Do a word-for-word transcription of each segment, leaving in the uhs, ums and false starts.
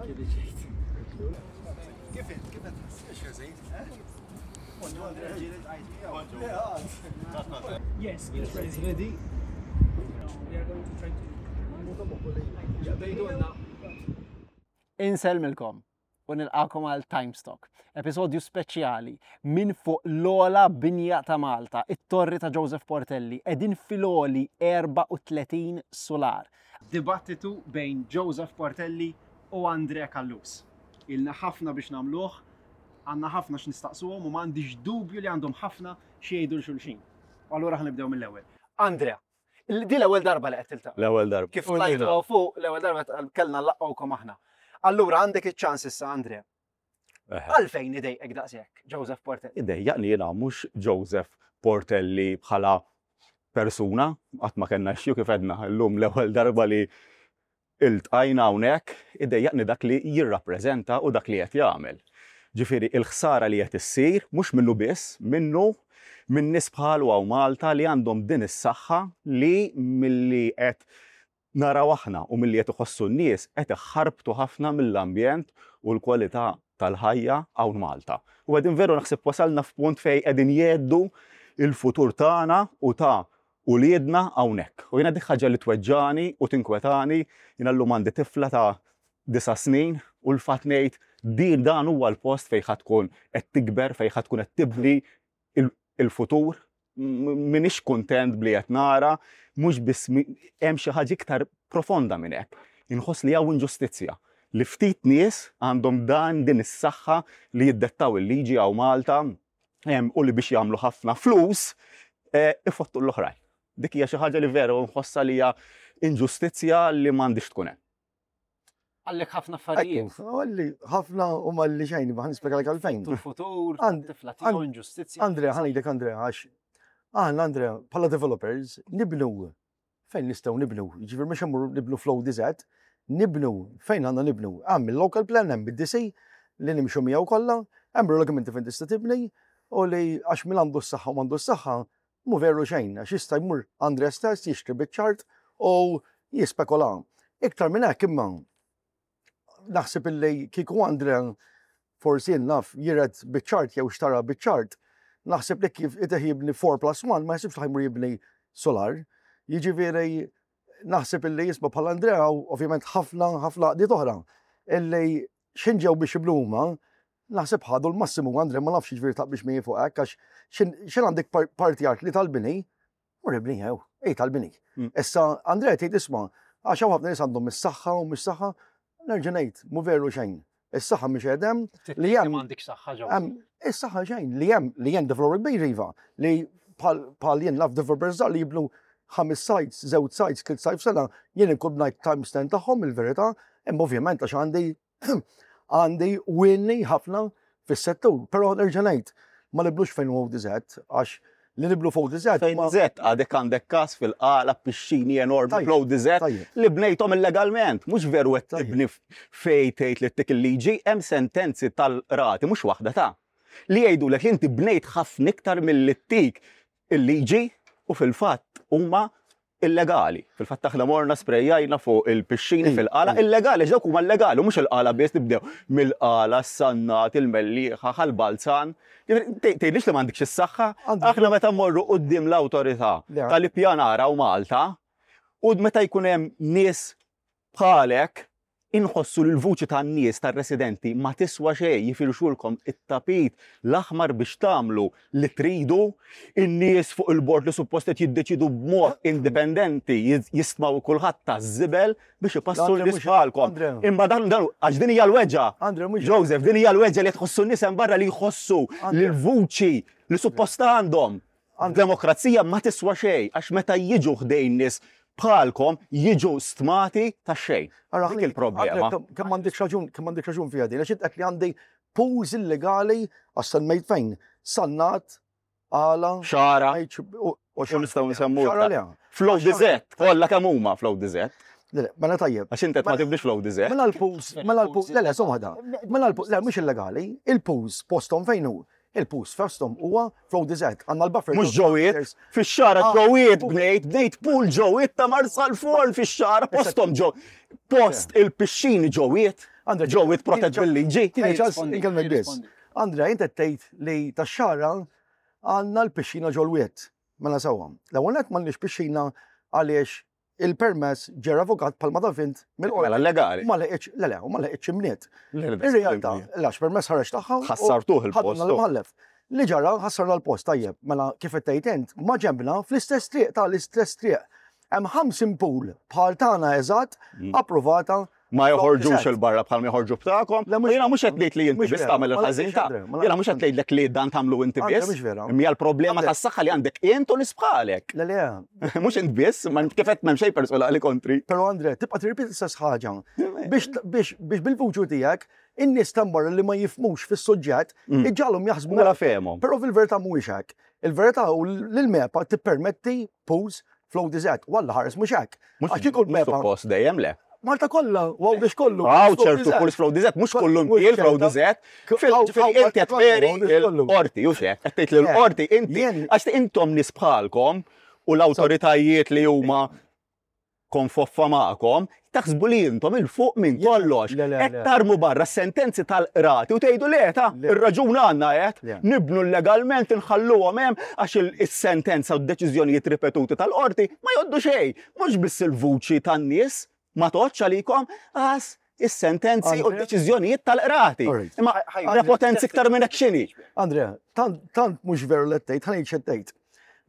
Kif int? Kif qed Yes, it's ready. It's ready. We are going to try to Insellmilkom u nilqakom għal Timestock, episodju speċjali minn fuq l-ogħla binja ta' Malta, it-torri ta' Joseph Portelli, qegħdin fil-għoli erbgħa u tletin solar. Dibattitu bejn Joseph Portelli u Andre Callus. Ilna ħafna biex nagħmluh, għandna ħafna x'nistaqsuhom u m'għandix dubju li għandhom ħafna xi jgħidu lil xulxin. U allura ħa nibdew mill-ewwel. Andrea, di l-ewwel darba li qed tiltaqa'. L-ewwel darba. Kif tlajtu fuq l-ewwel darba kellna nlaqqgħukom aħna. Allura għandek iċ-ċans issa, Andrea. Għalfejn idejqek daqshekk, Joseph Portelli? Idejjaqni jiena mhux Joseph Portelli bħala persuna, qatt ma kellna xju kif għedna llum l-ewwel darba li iltqajna hawnhekk, idejjaqni dak li jirrappreżenta u dak li qed jagħmel. Ġifieri il-ħsara li qed issir mhux minnu biss, minnu minn nies bħalu hawn Malta li għandhom din is-saħħa li milli qed naraw aħna u milli qed iħossu n-nies qed iħarbtu ħafna mill-ambjent u l-kwalità tal-ħajja hawn Malta. U qegħdin veru naħseb wasalna f'punt fejn qegħdin jheddu il-futur tagħna u ta' uliedna hawnhekk. U jiena dik ħaġa li tweġġani u tinkwetani, jiena llum għandi tifla ta' disa' snin u l-fatt ngħid din dan huwa l-post fejn ħa tkun qed tikber, fejn ħa tkun qed tibni il-futur. M'iniex kuntent bli qed nara, mhux biss hemm xi ħaġa iktar profonda minn hekk. Inħoss li hawn inġustizzja li ftit nies għandhom dan din is-saħħa li jiddettaw il-liġi hawn Malta u li biex jagħmlu ħafna flus eh, ifottu l-oħrajn. Dik hija xi ħaġa li veru nħossha li hija inġustizzja li m'għandix tkun hemm. Għallek ħafna affarijiet. Għalli ħafna u malli xejn, ħa nispjegalek għalfejn. Tul-futur, And- tifla tiegħu, inġustizzja. Andrea, ħa ngħidlek, Andrea, għax aħna, Andrea, bħala developers, nibnu fejn nistgħu nibnu. Ġifieri mhux immur nibnu fl-O D Z, nibnu fejn għandna nibnu. Hemm il-local plan, hemm id-D C li nimxu miegħu kollha, hemm regolamenti fejn tista' tibni u li għax min għandu s-saħħa u m'għandu s-saħħa mu veru xejn, għax jista' jmur Andrea stess jixtri biċ-ċart u jispekola. Iktar minn hekk imma naħseb illi kieku Andrea forsi naf jiret biċ-ċart jew xtara biċ-ċart, naħseb li kif iteħ jibni four plus one ma jsibx li ħa jmur jibni solar. Jiġifieri naħseb illi jisma' bħal Andrea u ovvjament ħafna ħafna għaqdiet oħra illi x'ħin ġew biex jibnu huma naħseb ħadu l-massimu. Andrea, ma nafx jiġifieri taqbix miegħi fuq hekk, għax x'ħin għandek par- parti art li tal-bini, mur ibni jew, ej tal-bini. Mm. Issa Andrea tgħid isma' għax hawn ħafna nies għandhom is-saħħa u mhux saħħa, nerġa' ngħid mu veru xejn. Is-saħħa mhix hemm li hemm M'għandek saħħa ġew. Hemm is-saħħa xejn li hemm li hemm developer kbir iva li bħal bħal jien naf developers żgħar li jibnu ħames sites, żewġ sites, tliet sites f'sena, jien inkun bnajt times ten tagħhom il-verità, imma ovvjament għax għandi għandi winni ħafna fis-settur, però nerġa' ngħid ma nibnux fejn huwa O D Z għax li nibnu fuq O D Z Fejn ma- Z għadek għandek kas fil-Qala, pixxini enormi Tajjeb, fl-O D Z tajjeb. li bnejthom illegalment. Mhux veru qed Tajjeb. tibni fej tgħid li tik il-liġi, hemm sentenzi tal-qrati, mhux waħda ta' li jgħidulek li inti bnejt ħafna iktar milli tik il-liġi u fil-fatt huma illegali. Fil-fatt aħna morna sprejjajna fuq il-pixxini Ej, fil-Qala, ej. illegali, dawk huma illegali, mhux il-Qala biss, nibdew mill-Qala, s-Sannat, il-Mellieħa, Ħal Balzan. Tgħidlix li m'għandekx is-saħħa, Għandek- aħna meta mmorru quddiem l-awtorità Le. tal-ippjanar hawn Malta u meta jkun hemm nies bħalek inħossu li l-vuċi tan-nies tar-residenti ma tiswa xejn, jifirxulkom it-tapit l-aħmar biex tagħmlu li tridu, in-nies fuq il-bord li suppost qed jiddeċidu b'mod indipendenti jiz- jistmaw kulħadd taż-żibel biex ipassu Andre, l-nies mhux- bħalkom. Andre. Imma dan dan għax din hija l-weġġa. Andre, mhux- Joseph, din hija l-weġġa li tħossu n-nies hemm barra li jħossu Andre. li l-vuċi li suppost għandhom. Demokrazija ma tiswa xejn għax meta jiġu ħdejn nies bħalkom jiġu stmati ta' xejn. Ara, Dik il-problema. Andre, kemm- Kemm għandek raġun, kemm għandek raġun fiha din, għax int qed li għandi pools illegali għax semmejt fejn. Sannat, Qala, Xagħra, u u nistgħu nsemmu. Xagħra le. Fl-O D Z, kollha kemm huma fl-O D Z. Le, le, mela tajjeb. Għax inti qed ma tibnix fl-O D Z. Mela l-pools, mela l-pools, le, le, somma da. Mela l-pools, le, mhux illegali, il-pools postom fejn hu? Il-pools postom huwa fl-O D Z, għandna l-buffer. Mhux ġowiet, fix-Xagħra Ah, ġowiet bnejt, bnejt pool ġowiet ta' Marsalforn fix-Xagħra, postom ġo. Post il-pixxini ġowiet. Andre, Ġew protett bil-liġi. Tieni ċans inkellmek biss. Andrea, inti tgħid li tax-Xagħra għandna l-pixxina ġol-wied. Mela sewwa. L-ewwel nett m'għandniex pixxina għaliex il-permess ġie revokat bħalma taf int mill-qorti. Mela legali. Ma leqitx, le le, u ma leqitx imniet. Ir-realtà, għax permess ħareġ tagħha. u Ħassartuh il-post. ħadna l-imħallef. Li ġara ħassarna l-post tajjeb, mela kif qed tgħid int, ma ġembna fl-istess triq tal-istess triq. Hemm ħamsin pool bħal tagħna eżatt Mm. approvata. Ma joħorġux Eżatt. il-barra bħal ma joħorġu b'tagħkom. Le, mhux- Jiena mhux qed ngħid li inti mhux biss vera. tagħmel Ma il-ħażin ta' Andre, ma Jiena mhux qed ngħidlek li dan tagħmlu inti Andre, biss. mhux vera. Imma hija l-problema Andre. tas-saħħa li għandek int u nies bħalek. Le le, Mhux int biss, ma kif qed m'hemm xejn personali kontri. però Andre, tibqa' tirrepeti l-istess ħaġa. Biex biex biex bil-vuċi tiegħek in-nies tambar li ma jifhmux fis-suġġett Mm. iġġagħalhom jaħsbu Mela fehmhom. Però fil-verità mhuwiex hekk. Il-verità hu li l-MEPA tippermetti pools fl-O D Z. Walla ħares mhux hekk. Mhux Għax kieku mhux l-MEPA suppost dejjem le. Malta kollha, u Għawdex kollu. Għaw ċertu pools fl-O D Z, mhux kullum Mhux kiel ċerta. fl-O D Z. Fil inti qed tferi l-qorti, u xek, qed tgħid li l-qorti inti Jien- għax intom nies bħalkom u l-awtoritajiet li huma konfoffa magħkom, taħsbu li intom il-fuq minn Jien- kollox. le, le, Qed le. tarmu barra sentenzi tal-qrati u tgħidu le ta' Le. ir-raġun għandna qed Le. nibnu legalment inħalluhom hemm għax il- is-sentenza u d-deċiżjonijiet ripetuti tal-qorti ma jgħoddu xejn. Mhux biss il-vuċi tan-nies ma toqgħodx għalikom għas is-sentenzi u Andre? d-deċiżjonijiet tal-qrati. Alright. Imma prepotenzi iktar minn hekk x'inhi. Andrea, tant tant mhux veru li tgħid, ħa ngħid x'qed tgħid.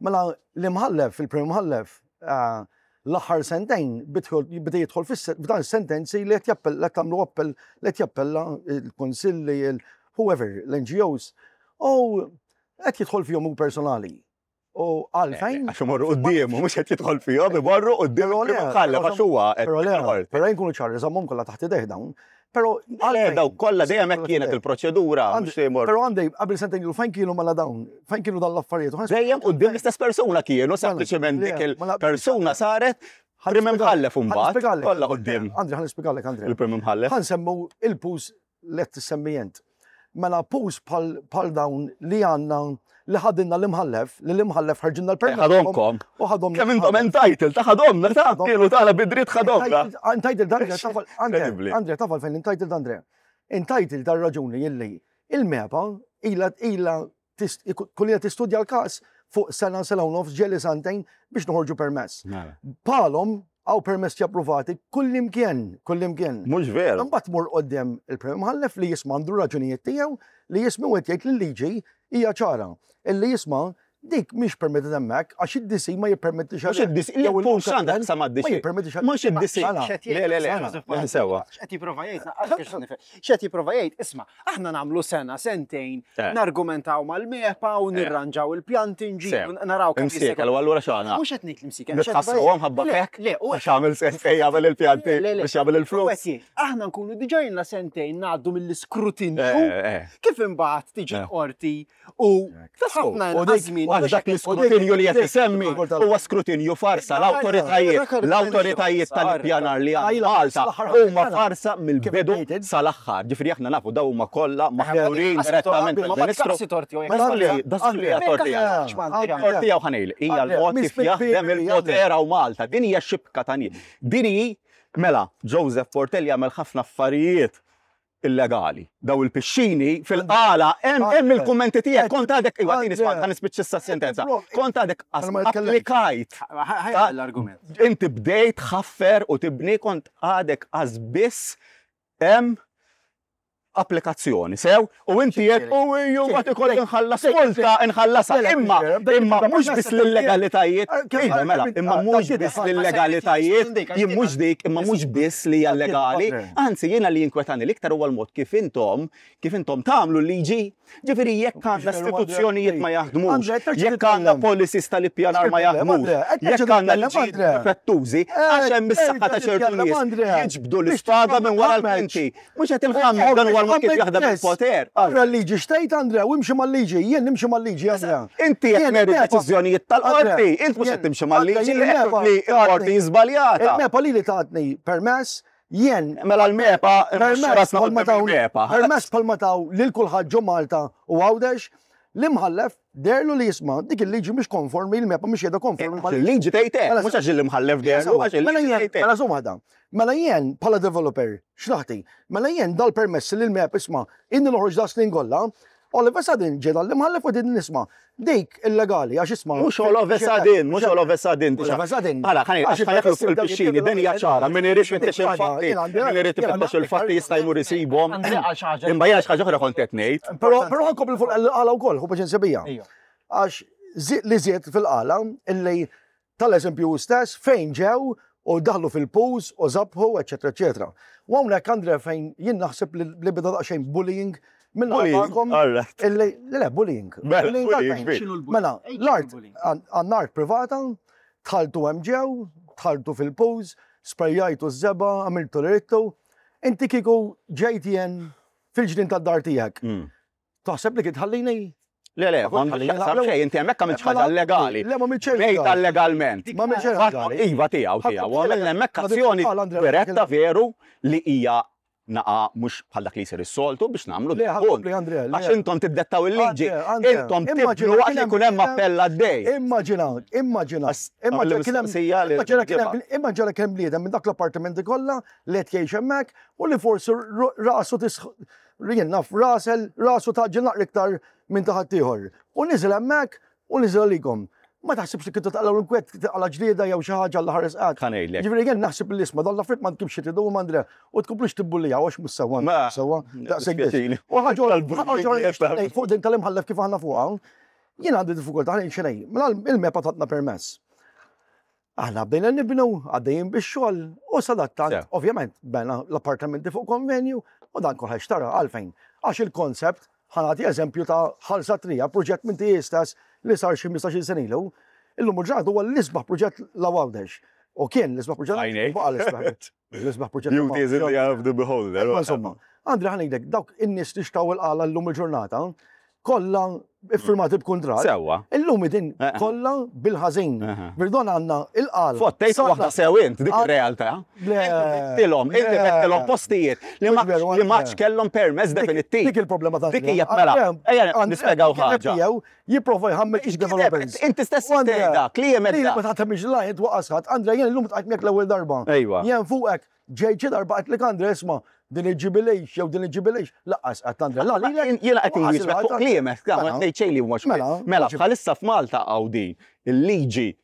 Mela l-imħallef, il-prim imħallef, eh, l-aħħar sentejn bidħol- beda jidħol f'dan is-sentenzi li qed jappella, qed tagħmlu appell, li qed jappella il-konsilli, il whoever, l-N G Os, u qed jidħol fihom hu personali. U għalfejn, Għax imorru quddiemu, mhux qed jidħol fihom, imorru quddiem Però le, il-prim imħallef għax huwa qed però le, il-qorti. però nkunu ċari, żammhom kollha taħt idejh dawn. Però Le, għalfejn- daw kollha dejjem hekk kienet il-proċedura, mhux li jmorru. Però għandej, qabel sentejn ilu fejn kienu mela dawn, fejn kienu dan l-affarijiet. U ħa Dejjem quddiem l-istess persuna kienu, sempliċement le, dik mela- il-persuna saret prim imħallef imbagħad. Ħa nispjegalek. Kollha quddiem Andre, ħa nispjegalek, Andre. il-prim imħallef. Ħa nsemmu il-pools li qed tissemmi int. Mela pools bħal dawn li għandna li ħadinna l-imħallef, li l-imħallef ħarġinna l-permess. Ħadhomkom. U ħadhom. Kemm intom entitled, ta' ħadhomna, ta' kienu tagħna bidritt ħadhomna. Entitled, Andre, taf għal, Andre, Incredibly. Andre, taf għalfejn entitled, Andre. Entitled dar raġuni illi il-MEPA ila ila kullija tistudja l-każ fuq sena, sena u nofs, ġieli sentejn biex noħorġu permess. Bħalhom hawn permessi approvati kullimkien, kullimkien. Mhux veru. Imbagħad tmur quddiem il-Prim Imħallef li jisma' għandu raġunijiet tiegħu li jisma' u qed jgħid li l-liġi hija ċara. Illi jisma' dik mhix permetted hemmhekk għax id-D C ma jippermettix Mhux id-D C, li pools għandek sa ma Ma jippermettix Mhux id-D C. Le, le, le, le, sewwa. X'qed jipprova jgħid, naqas nifhem. X'qed jipprova jgħid, isma' aħna nagħmlu sena, sentejn, Eh. nargumentaw mal-MEPA u nirranġaw il-pjanti nġibu Sew. naraw kemm Imsiek, jista' jkun. allura x'għana? Mhux qed ngħid l-imsiek. x'qed Nitħassruhom ħabba Le, fek? Le, u Għax għamel sentejn jagħmel il-pjanti Le, le. biex jagħmel U il-flus. qed jgħid, aħna nkunu diġà ilna sentejn ngħaddu mill-iskrutinju Eh, eh. kif imbagħad tiġi Eh. qorti u ħafna U inqas dik- żmien. Għax dak l-iskrutinju li qed isemmi huwa skrutinju farsa. L-awtoritajiet l-awtoritajiet tal-ippjanar li għandna Malta huma farsa mill-bidu sal-aħħar. Ġifieri aħna nafu daw huma kollha maħturin direttament mill-Ministru. Dak li Tortija u ħanejl, hija l-mod kif jaħdem il-poter hawn Malta. Din hija xibka ta' nies. Din hi, mela, Joseph Portelli jagħmel ħafna affarijiet illegali. Daw il-pixxini fil-qala, hemm hemm il-kummenti tiegħek, kont għadek, iwa tieni Andre. ħa nispiċċa issa sentenza. Kont għadek Mela ma jitkellem. applikajt. L-argument. Inti bdejt ħaffer u tibni kont għadek għaz biss hemm applikazzjoni, sew, u inti jek, u ju ma tikolli nħallas multa, nħallasha, imma, imma mhux biss l-illegalitajiet, iva, mela, imma mhux biss l-illegalitajiet, jien mhux dik, imma mhux biss li hija legali, anzi jiena li jinkwetani l-iktar huwa l-mod kif intom, kif intom tagħmlu l-liġi, ġifieri jekk għandna istituzzjonijiet ma jaħdmux, jekk għandna policies tal-ippjanar ma jaħdmux, jekk għandna liġijiet difettużi, għax hemm is-saħħa ta' ċertu nies jiġbdu l-ispada minn wara l-kwinti. Mhux qed inħammu dan huwa l-mod kif jaħdem il-poter. Ara l-liġi xtejt, Andrea, u imxi mal-liġi, jien nimxi mal-liġi, Andrea. Inti qed meri deċiżjonijiet tal-qorti, int mhux qed timxi mal-liġi li l-qorti żbaljata. Il-MEPA li li tatni permess, jien. Mela l-MEPA, Permess bħalma taw permess bħalma taw lil kulħadd ġo Malta u Għawdex, L-imħallef deherlu li jisma' dik il-liġi mhix konformi, il-MEPA mhix qiegħda konformi mal- Il-liġi tgħid hekk, Mela, mhux għax l-imħallef deherlu, għax Mela il-liġi jien, tgħid hekk. mela żomm waħda. Mela jien bħala developer, x'naħti? Mela jien dal-permess li l-MEPA isma' inni noħroġ da snin kollha, all of a sudden ġie dal-imħallef u din nisma' dik illegali għax isma' Mhux all of a sudden, mhux all of a sudden. All of a sudden. Għala, ħani, Għax għax ħa jaqlu il-permessi bdew fil-pixxini, jittieħdu din hija ċara, min irid ifittex Jien il-fatti, għandi- min irid ifittex il-fatti jista' jmur isibhom. Għandi għal xi ħaġa. Imma jiena xi ħaġa oħra kont qed ngħid. Però però ħa nkompli fuq il-Qala wkoll, hu paċenzja bija. Ejja. Għax zi- li żied fil-Qala illi tal-eżempju stess fejn ġew u daħlu fil-pools u żabħu, eċetera, eċetera. U hawnhekk Andre fejn jien naħseb li li beda daqsxejn bullying minn Bullying, għakom all right. illi le bullying. Mela, Bullying bullying, għalfejn? fej. X'inhu l-bullying? Mela, Ej, l-art x'inhu l-bullying? għandna art privata, dħaltu hemm ġew, dħaltu fil-pools, sprejjajtu ż-żebgħa, għamiltu l-rittu. Inti kieku ġejt jien fil-ġnien tad-dar tiegħek. Mm. Taħseb li kien tħallini? Le, le, Ma ma ħallini xaqsam naqlew. xejn, inti hemmhekk għamilt ħaġa Mela, legali. Le, ma għamilt xejn Bejta legali. legalment. Ma għamilt xejn legali. Iva tiegħu tiegħu, għamilna hemmhekk Ma azzjoni dik- Andrea, diretta veru li hija naqa mhux bħal dak li jsir is-soltu biex nagħmlu Le, dak ħa nkompli, punt. Andrea, le. Għax intom tiddettaw il-liġi, Andrea, Andrea, intom immaġina tibnu waqt kien li hemm jkun hemm bniedem- appell għaddej. Immaġina, immaġina, Għas- immaġina għamil kien hemm- mistoqsija li immaġina kien hemm- ġibha. immaġina kien hemm bniedem minn dak l-appartamenti kollha li qed jgħix hemmhekk u li forsi ru- rasu tisħ jien naf rasel rasu taġġel naqra iktar minn ta' ħaddieħor. U niżel hemmhekk u niżel għalikom. Ma taħsibx li kintu taqlaw l-inkwet taqla ġlieda jew xi ħaġa l ħares qatt. Ħa ngħidlek. Ġifieri jien naħseb li isma' dan l-affarijiet ma tkibx tridu Andre u tkomplux tibbullijaw għax mhux sewwa. Ma- Sewwa, daqshekk biss. dispjaċini. U ħaġa oħra- Tal-bullying ħaġa oħra jesta. fuq din tal-imħallef kif aħna fuqha, jien għandi diffikultà ħa ngħid Mela il-MEPA tatna permess. Aħna bdejna nibnu, għaddejjin bix-xogħol u sadattant, Sew. ovvjament, bena l-appartamenti fuq konvenju u dan kolħax xtara għalfejn. Għax il-koncept, ħa nagħti eżempju ta' Ħal Satrija, proġett minn tiegħi stess li sar xi ħmistax-il sena ilu, illum il-ġurnata huwa l-isbaħ proġett la Għawdex. U kien l-isbaħ proġett. Għajnejk. Baqa' l-isbaħ. L-isbaħ proġett. Beauty is in the eye of the beholder. Ma insomma, Andrea ħa ngħidlek, dawk in-nies li xtraw il-Qala llum il-ġurnata, kollha iffirmati b'kuntratt. Sewwa. Illum din Eh. kollha bil-ħażin. Aha. Birdon għandna il-Qala. Fottejt Satna- waħda sew int, dik Ah, ir-realtà. Le. Tilhom, inti Le. bettilhom postijiet li ma Mhux veru, li ma Andrea. kellhom permess definittiv. Dik il-problema ta' Dik hija mela. Ejja nispjegaw ħaġa. Tiegħu jipprova jħammeġ developers. Inti stess U Andrea, tgħid dak, li hemm Li dak. ma taħtemx lajn twaqqas ħadd. Andrea jien illum tqajt miegħek l-ewwel darba. Ejwa. Jien fuqek ġej xi darba qed lek Andrea isma' din iġġibilix jew din iġġibilix. Laqqas qed Andrea. La lilek. Jiena qed u laqqas inwieġbek fuq il-ħadd. kliemek, ma Mela. ngħid xejn li mhux. Mela, Mela, mhux- bħalissa f'Malta hawn din il-liġi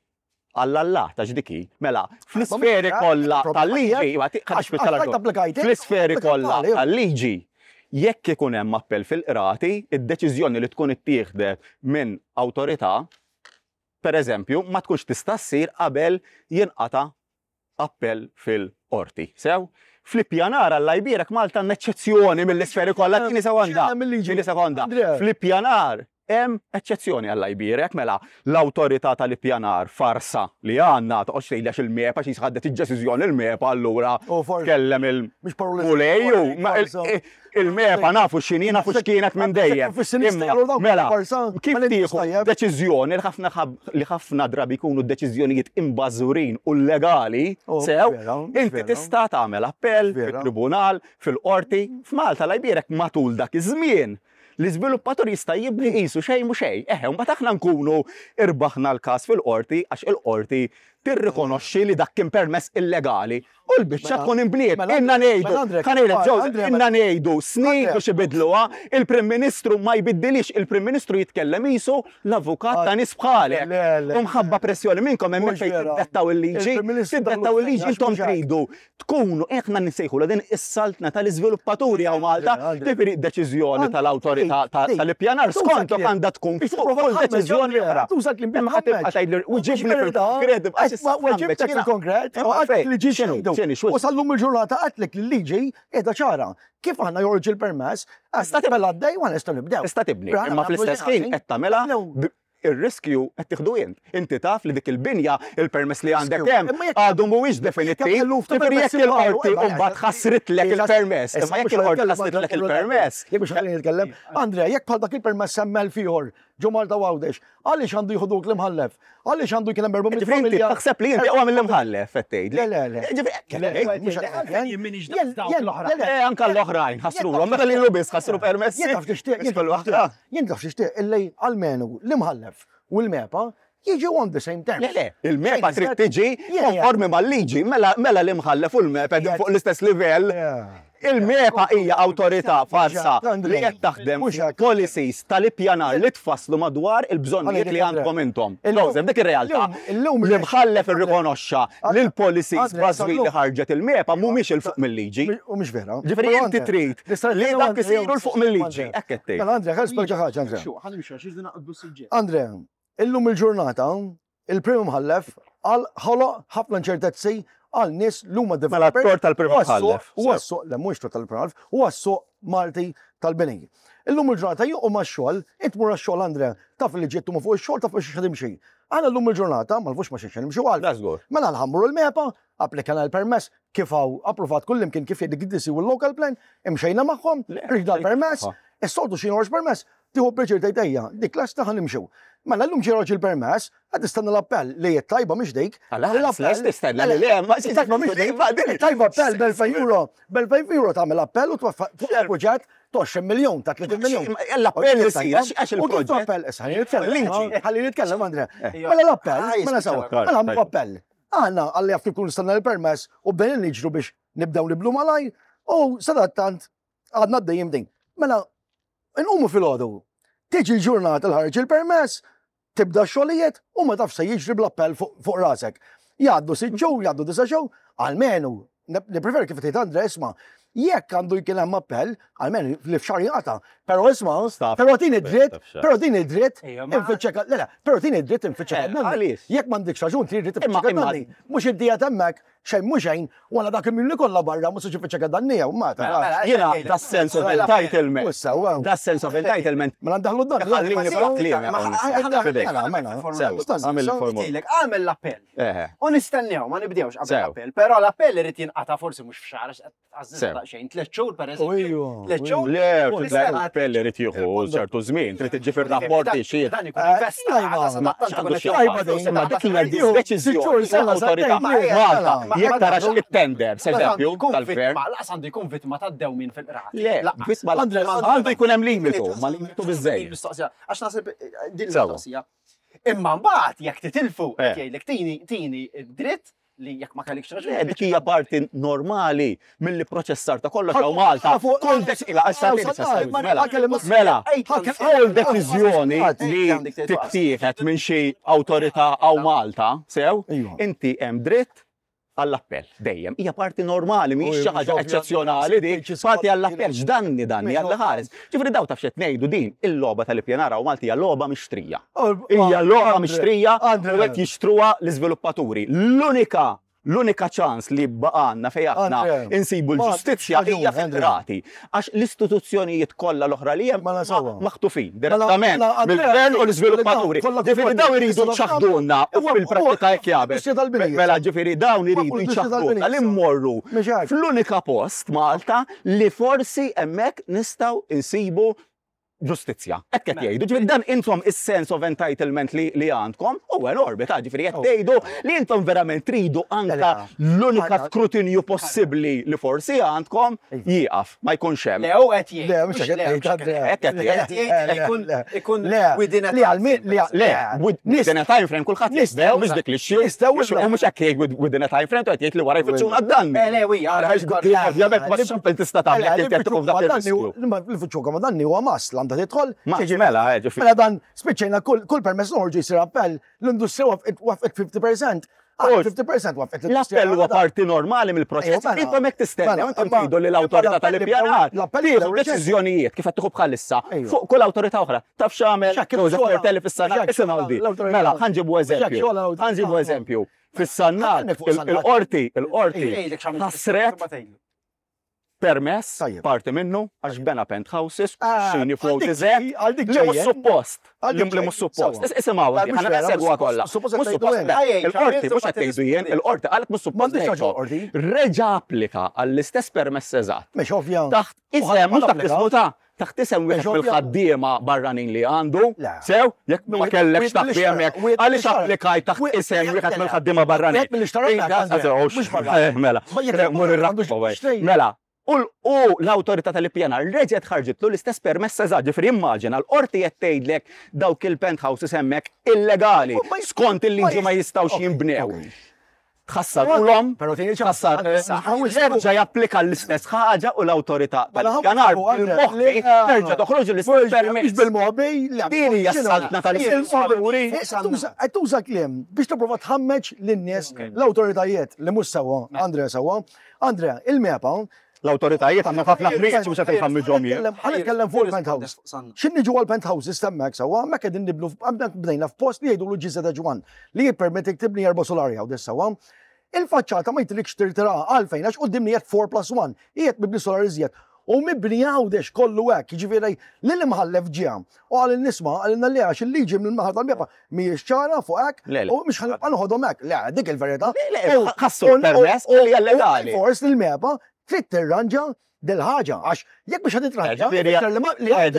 għall-Allah ta' ġdiki, mela, fl-isferi Ma mhux- kollha problema tal-liġi, tiegħek, iva, ti- ħa għax- nispiċċa għax rajt applikajt, fl-isferi applikajt kollha għalih. tal-liġi, jekk ikun hemm appell fil-qrati, id-deċiżjoni li tkun ittieħdet minn awtorità, per eżempju, ma tkunx tista' ssir qabel jinqata' appell fil-qorti. Sew, fl-ippjanar Alla jbierek Malta għandna eċċezzjoni mill-isferi kollha, tini sekonda. X'hemm il-liġi? Tini sekonda. Andrea. Fl-ippjanar hemm eċċezzjoni Alla jbierek, mela l-awtorità tal-ippjanar farsa li għandna toqgħodx tgħidli għax il-MEPA xi ħadet id-deċiżjoni il-MEPA allura U forsi kellem il- mhux paroli. Mulej, ma il- Farsa. il-MEPA nafu x'inhi, nafu x'kienet minn dejjem. Fis-sinistra Imma, jgħidu dawk Mela, farsa, kif ma li tieħu tajjeb. deċiżjoni li ħafna ħab- li ħafna drabi jkunu deċiżjonijiet imbażurin u legali, Oh, sew, vera, inti vera. tista' tagħmel appell Vera. fit-tribunal, fil-qorti, f'Malta Alla jbierek matul dak iż-żmien. L-iżviluppatur jista' jibni qisu xejn mhu xejn. Eħe, mbagħad aħna nkunu irbaħna l-każ fil-qorti għax il-qorti tirrikonoxxi li dak kien permess illegali. U l-biċċa Mela- tkun inbniet. mela- Inna ngħidu, mela Andre, ħa ngħidlek, Andre, Joseph, inna ngħidu snin Andre. biex ibidluha, il-Prim Ministru ma jbiddilix, il-Prim Ministru jitkellem qisu l-avukat ta' nies bħalek. Le, le. U mħabba pressjoni minnkom hemmhekk Mhux fejn vera. tiddettaw il-liġi, Il-Prim Ministru tiddettaw il-liġi daħlu intom għax mhux hekk. tridu tkunu aħna nsejħu din is-saltna tal-iżviluppaturi hawn Malta, Andre, Andre. ġifieri deċiżjoni tal-awtorità ta- Ej, tal-ippjanar tuża skontok kliem. għandha tkun Biex fuq tipprova kull tħammeġ, deċiżjoni Andrea, oħra. Tuża kliem Imma ħa tibqa' tgħidli u ġibni fil-konkret, għax issa Weġibtek tħammeġ. fil-konkret, Imma u għatlek fejn? li ġi X'inhu? xejdu. X'inhi? X'hu? U sal-lum il-ġurnata għatlek li l-liġi qiegħda ċara. Kif aħna joħorġ il-permess, Tista' tibni. mela għaddej u għan nistgħu nibdew. Tista' tibni, Brana, imma nagħmlu fl-istess xi ħin ħażin. qed tagħmilha Nibdew. b- ir-riskju qed tieħdu int. Inti taf li dik il-binja il-permess li għandek Riskju. hemm Imma jekk- għadu mhuwiex definittiv. jekk eluf ta' Ġifieri jekk permessi marru, il-qorti imma mbagħad ħassritlekil-permess, imma jekk il-qorti ħassritlek il-permess, Jekk mhux ħalli nitkellem. Andrea, jekk bħal dak il-permess hemm elf ieħor ġo Malta Għawdex. Għaliex għandu jieħu duk l-imħallef? Għaliex għandu jkun hemm erba' mitt Ġifieri inti familja? taħseb li inti aqwa mill-imħallef qed tgħid. Le, le, le. Ġifieri Le, mhux Għalfejn jien m'iniex daqs dawk l-oħra. le, le. Eh, anka l-oħrajn ħassruhom, meta lilu biss ħassru permessi. Jien taf tixtieq, jien Kull taf waħda. tixtieq, jien taf tixtieq illi almenu l-imħallef u l-MEPA jiġu on the same terms. Le, le, il-MEPA trid tiġi Yeah, yeah. konformi mal-liġi, mela mela l-imħallef u l-MEPA qegħdin fuq l-istess livell. Yeah. Il-MEPA hija awtorità farsa Andrea, li qed taħdem mhux hekk. policies tal-ippjanar li tfasslu madwar il-bżonnijiet li għandkom intom. Illum- Joseph, dik ir-realtà. illum- L-imħallef irrikonoxxa li l-policies Andrea, bażwi li illum- ħarġet il-MEPA mhumiex 'il fuq mill-liġi. U mhux vera. Ġifieri Però, inti Andrea, trid nista' li nitkellem, dak Andrea, isiru 'l fuq mill-liġi. Andrea. Hekk qed tgħid. Mela Andrea, ħa nispjega ħaġa, Andrea. Xu, ħa nimxu, għax irridu naqbdu suġġett. Andrea, illum il-ġurnata, il-prim imħallef għal ħoloq ħafna inċertezzi għal nies l huma Mela developers. t-tort tal-prim u għas-suq- imħallef. U għas-suq, le mhux tort tal-prim imħallef, u għas-suq Malti tal-bini. Illum il-ġurnata juqgħu max-xogħol, int mur għax-xogħol Andrea, taf li ġiet ma fuq ix-xogħol taf biex timxi. Aħna llum il-ġurnata ma nafux ma xiex nimxu għal. Da żgur. Mela nħammru l-MEPA, applikana l-permess, kif hawn approvat kullimkien kif jgħidik id-D C u l-local plan, imxejna magħhom, rġda l-permess, is-soltu xi joħroġ permess, tieħu pjaċir tgħid ejja, dik lesta ħa nimxu. Mela llum ġie joħroġ il-permess, qed tistenna l-appell li hija tajba mhix dik. Għala, lest tistenna li le, ma Tajba mhix dik. Tajba appell b'elfejn euro, b'elfejn euro tagħmel appell u twaffaq proġett ta' għoxrin miljun, ta' tletin miljun. L-appell isir, għax għax U kif il-proġett. appell, issa ħalli nitkellem, Liġi. ħalli nitkellem Andrea. Mela l-appell, mela sewa, Klar, mela għamlu tajb. appell. Aħna għalli jaf kif nistenna l-permess u bdejna niġru biex nibdew niblu malaj u sadattant għadna għaddejjin din. Mela, nqumu filgħodu, tiġi l-ġurnata l-ħarġ il-permess, tibda x-xogħlijiet u ma taf se jiġri bl-appell fuq fuq rasek. Jgħaddu sitt xhur, jgħaddu disa' xhur, almenu, nippreferi kif tgħid Andre, isma' jekk għandu jkun hemm appell, almenu li f'xahar jinqata'. Però isma', Staf. però tini dritt, Staf xahar. però tini dritt, Ejja, ma- infittxek, le le, però tini dritt infittxek Eh, danni. għaliex? Jekk m'għandekx raġun trid dritt Imma- infittxek imma- danni. Mhux id-dija t'hemmhekk, xejn mhux xejn, wara dak il-milli kollha barra mhux se infittxek danni jew ma tarax. Jiena da sense of entitlement. U sewa. Da sense of entitlement. Mela ndaħlu dan. Ħallini f'kliem, Mela, mela. Sew, għamil formula. Tgħidlek, għamel l-appell. Eħe. U nistennew, ma nibdewx qabel Sew. l-appell. Però l-appell irid jinqata' forsi mhux f'xahar, għax għażiż Sew. daqsxejn, tliet xhur pereżempju. Ejju. Tliet xhur. Le, u nistenna- l-appell irid jieħu ċertu żmien, trid iġġifier rapporti xi. Dan ikun Eh, investa, tajba. għada Ma sadattant x'għandu ikun xi qed Tajba jaqbad. din. Ma dik hija Sitt xhur, deċiżjoni sena, tal-awtorità sentejn, Malta. mela. Jekk tarax it-tender, eżempju, Jkun tal-gvern. vittma, laqas għandu jkun vittma ta' dewmin fil-qrati. Le, Laqas. vittma Andre, għandu jkun hemm limitu, ma limitu biżejjed. Mistoqsija, għax naħseb eh, din Sewa. mistoqsija. Imma mbagħad jekk titilfu, Eh. jgħidlek tini tini dritt li jekk ma kellekx raġun. Le, dik hija parti normali mill-proċessar ta' kollox hawn Malta. Fuq- Kull deċiżjoni, mela, mela, kull deċiżjoni li tittieħed minn xi awtorità hawn Malta, sew, Ejwa. inti hemm dritt għall-appell dejjem. Hija parti normali, mhijiex xi ħaġa Ujwa, eċċezzjonali dik, parti għall-appell x'danni danni għall ħares. Ġifieri daw taf x'qed ngħidu din il-logħba tal-ippjanar hawn Malta hija logħba mixtrija. Hija logħba mixtrija u qed jixtruha l-iżviluppaturi. L-unika l-unika ċans li baqanna fejn aħna Andre, insibu ma- l-ġustizzja raġun, hija Andre. fil-qrati. Għax l-istituzzjonijiet kollha l-oħra li hemm Mela sewwa. maħtufin direttament mela, Andrea, mill-gvern u l-iżviluppaturi. kollha Ġifieri dawn iridu kollha- ċaħduna u fil-prattika hekk jagħmel. Industrija tal-bini. Mela ġifieri dawn iridu Industrija tal-bini. jċaħduna li mmorru Mhux hekk. fl-unika post Malta li forsi hemmhekk nistgħu insibu ġustizzja. Hekk qed jgħidu. Ġifieri dan intom is-sense of entitlement li, li għandkom u enormi ta' ġifieri qed tgħidu li intom verament tridu anka l-unika skrutinju possibbli li forsi għandkom jieqaf, ma jkunx hemm. Le, u qed jgħid. Le, mhux hekk qed jgħid, Andrea. Hekk qed jgħid. Ikun ikun Le, within a li għal-min, li għal- Le, within a time frame kulħadd jisbew, mhux dik li xi. Nistgħu U mhux hekk jgħid within a time frame, qed jgħid li wara jfittxuna d-danni. Eh, le, wi, għara, Ovvjament ma xampel tista' tagħmel jekk inti qed tkun f'dak ir-riskju. Li ma danni huwa mas l għandha tidħol. Ma Ġifieri, mela, eh, ġifieri. Mela dan spiċċejna kull kull permess noħorġu jsir appell, l-industrija waqfet waqfet fifty percent. Ah, U- fifty percent waqfet l-industrija. L-appell huwa parti normali mill-proċess. Ejwa, mela. Intom hekk tistennew, Mela, intom imma- tgħidu li l-awtorità imma l-appell tal-ippjanar l-appell tieħu jibdew deċiżjonijiet kif qed tieħu bħalissa Ejwa. fuq kull awtorità oħra. Taf x'għamel X'hekk Joseph xogħol- Portelli fis-Sannat, x'hekk isimgħu di. l-awtorità- Mela, ħa nġibu X'hekk eżempju. xogħol l-awtorità- Ħa nġibu eżempju. Fis-Sannat, Ħa fuq Sannat. il-qorti, il-qorti Jgħidlek x'għamilt ħassret ma tgħidlu. permess Tajjeb. parti minnu għax bena penthouses, Ah, xini għal fuq dik dizet, ġej- għal dik li mhux ġejjen. suppost. Għal Li dik li mhux ġejjen, suppost. sewwa. Is- Isimgħu, La, għandi, mhux ħana vera, segwa mhux kollha. suppost Mhux qed tgħidu suppost, hekk. le, Ejja, il-qorti mhux qed x'għamilt tgħidu jien, il-qorti qalet mhux suppost. M'għandix raġun ngħidu. qorti. Reġa applika għall-istess permess eżatt. Mhux ovvja. Taħt isem, mhux taħt ismu ta' Taħt isem wieħed mill-ħaddiema barranin li għandu, sew, jekk ma kellekx taħt hemmhekk, għaliex applikaj taħt isem wieħed mill-ħaddiema barranin. Mela, mela, u l-awtorità tal-ippjanar reġgħet ħarġitlu l-istess permess eżatt, ġifieri immaġina l-qorti qed tgħidlek dawk il-penthouses hemmhekk illegali, skont il-liġi ma jistgħux jinbnew. Tħassarulhom, tħassar, terġa' japplika l-istess ħaġa u l-awtorità tal-ippjanar bil-moħbi terġa' toħroġ l-istess permess. Bil-moħbi, din hija s-saltna tal-ispettaturi. Qed tuża kliem biex tipprova tħammeġ lin-nies l-awtoritajiet li mhux sewwa, Andrea sewwa. Andrea, il-MEPA l-awtoritajiet għandna ħafna ħriġ mhux qed nħammiġhom jien. Ħa nitkellem fuq il-penthouse. X'in niġu għall-penthouses hemmhekk sewwa, hemmhekk qegħdin nibnu bdejna f'post li jgħidulu G Z one li jippermettik tibni erba' solari hawn sewwa. Il-faċċata ma jitlikx tirtira għalfejn għax qudiemni qed four plus one, qiegħed mibni solar iżjed. U mibni Għawdex kollu hekk, jiġifieri lil imħallef ġie u qal nisma' qalilna li għax il-liġi mill-naħa tal-MEPA mhijiex ċara fuq hekk u mhux ħanibqa' noħodhom hekk. Le, dik il-verità. Ħassu l-permess li hija legali. Force lill-MEPA trid tirranġa dil-ħaġa għax jekk biex ħad titranġa.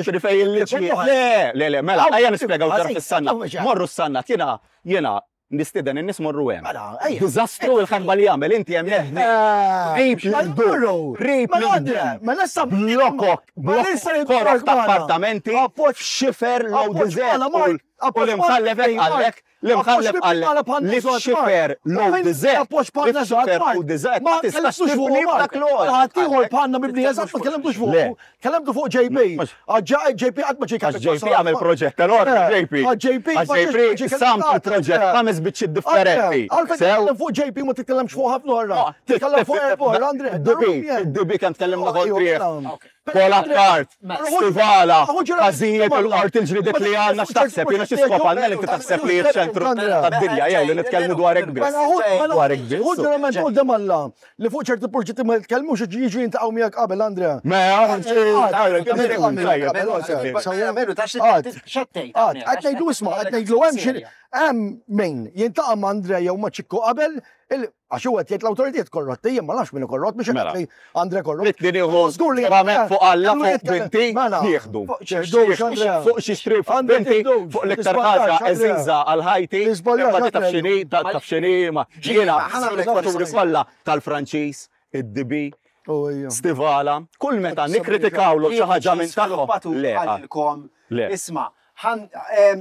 Ġifieri fejn il-liġi. Le, le, le, mela, ejja nispjegaw ġara fis-sanna. Morru s-sanna, jiena jiena nistieden in-nies morru hemm. Diżastru il-ħarba li jagħmel inti hemm rib l-dur, rib l-dur, blokok, blokok ta' appartamenti, xifer low design, u l-imħallef għallek, l-imħallef għallek li xifer low design, li xifer low design, ma tistax tibni dak l-għol. Ħaddieħor bħalna mibni eżatt ma tkellimtux fuq, kellemtu fuq J P. J P qatt ma ġie Għax J P għamel proġett enormi, J P. J P, J P sam il-proġett ħames biċċiet differenti. Għalfejn titkellem fuq J P ma titkellemx fuq ħafna oħra. Titkellem fuq erba' Andre. D B, D B kemm tkellimna kontrih. Kola Kart, Stivala, każijiet il-qorti l-ġlidiet li għandna x'taħseb, jiena xi skop għandna li inti taħseb li ċ-ċentru tad-dinja jew li nitkellmu dwar hekk biss. Dwar hekk biss. Ħu ġurament quddiem Alla li fuq ċerti proġetti ma jitkellmux jiġu jintaqgħu miegħek qabel, Andrea. Qed ngħidlu isma', qed ngħidlu hemm xi hemm min jintaqa' ma' Andrea jew ma' Ċikku qabel għax huwa qed jgħid l-awtoritajiet korrotti, jien ma nafx min hu korrott biex qed li Andre korrott. Li nieħu ġurament fuq Alla fuq binti nieħdu. Fuq xi xtri fuq binti fuq l-iktar ħaġa eżiża għal ħajti. Imma taf x'inhi, taf x'inhi ma jiena l-ispettaturi kollha tal-Franċiż, id-D B, Stivala, kull meta nikkritikawlu xi ħaġa minn tagħhom. Le. Isma',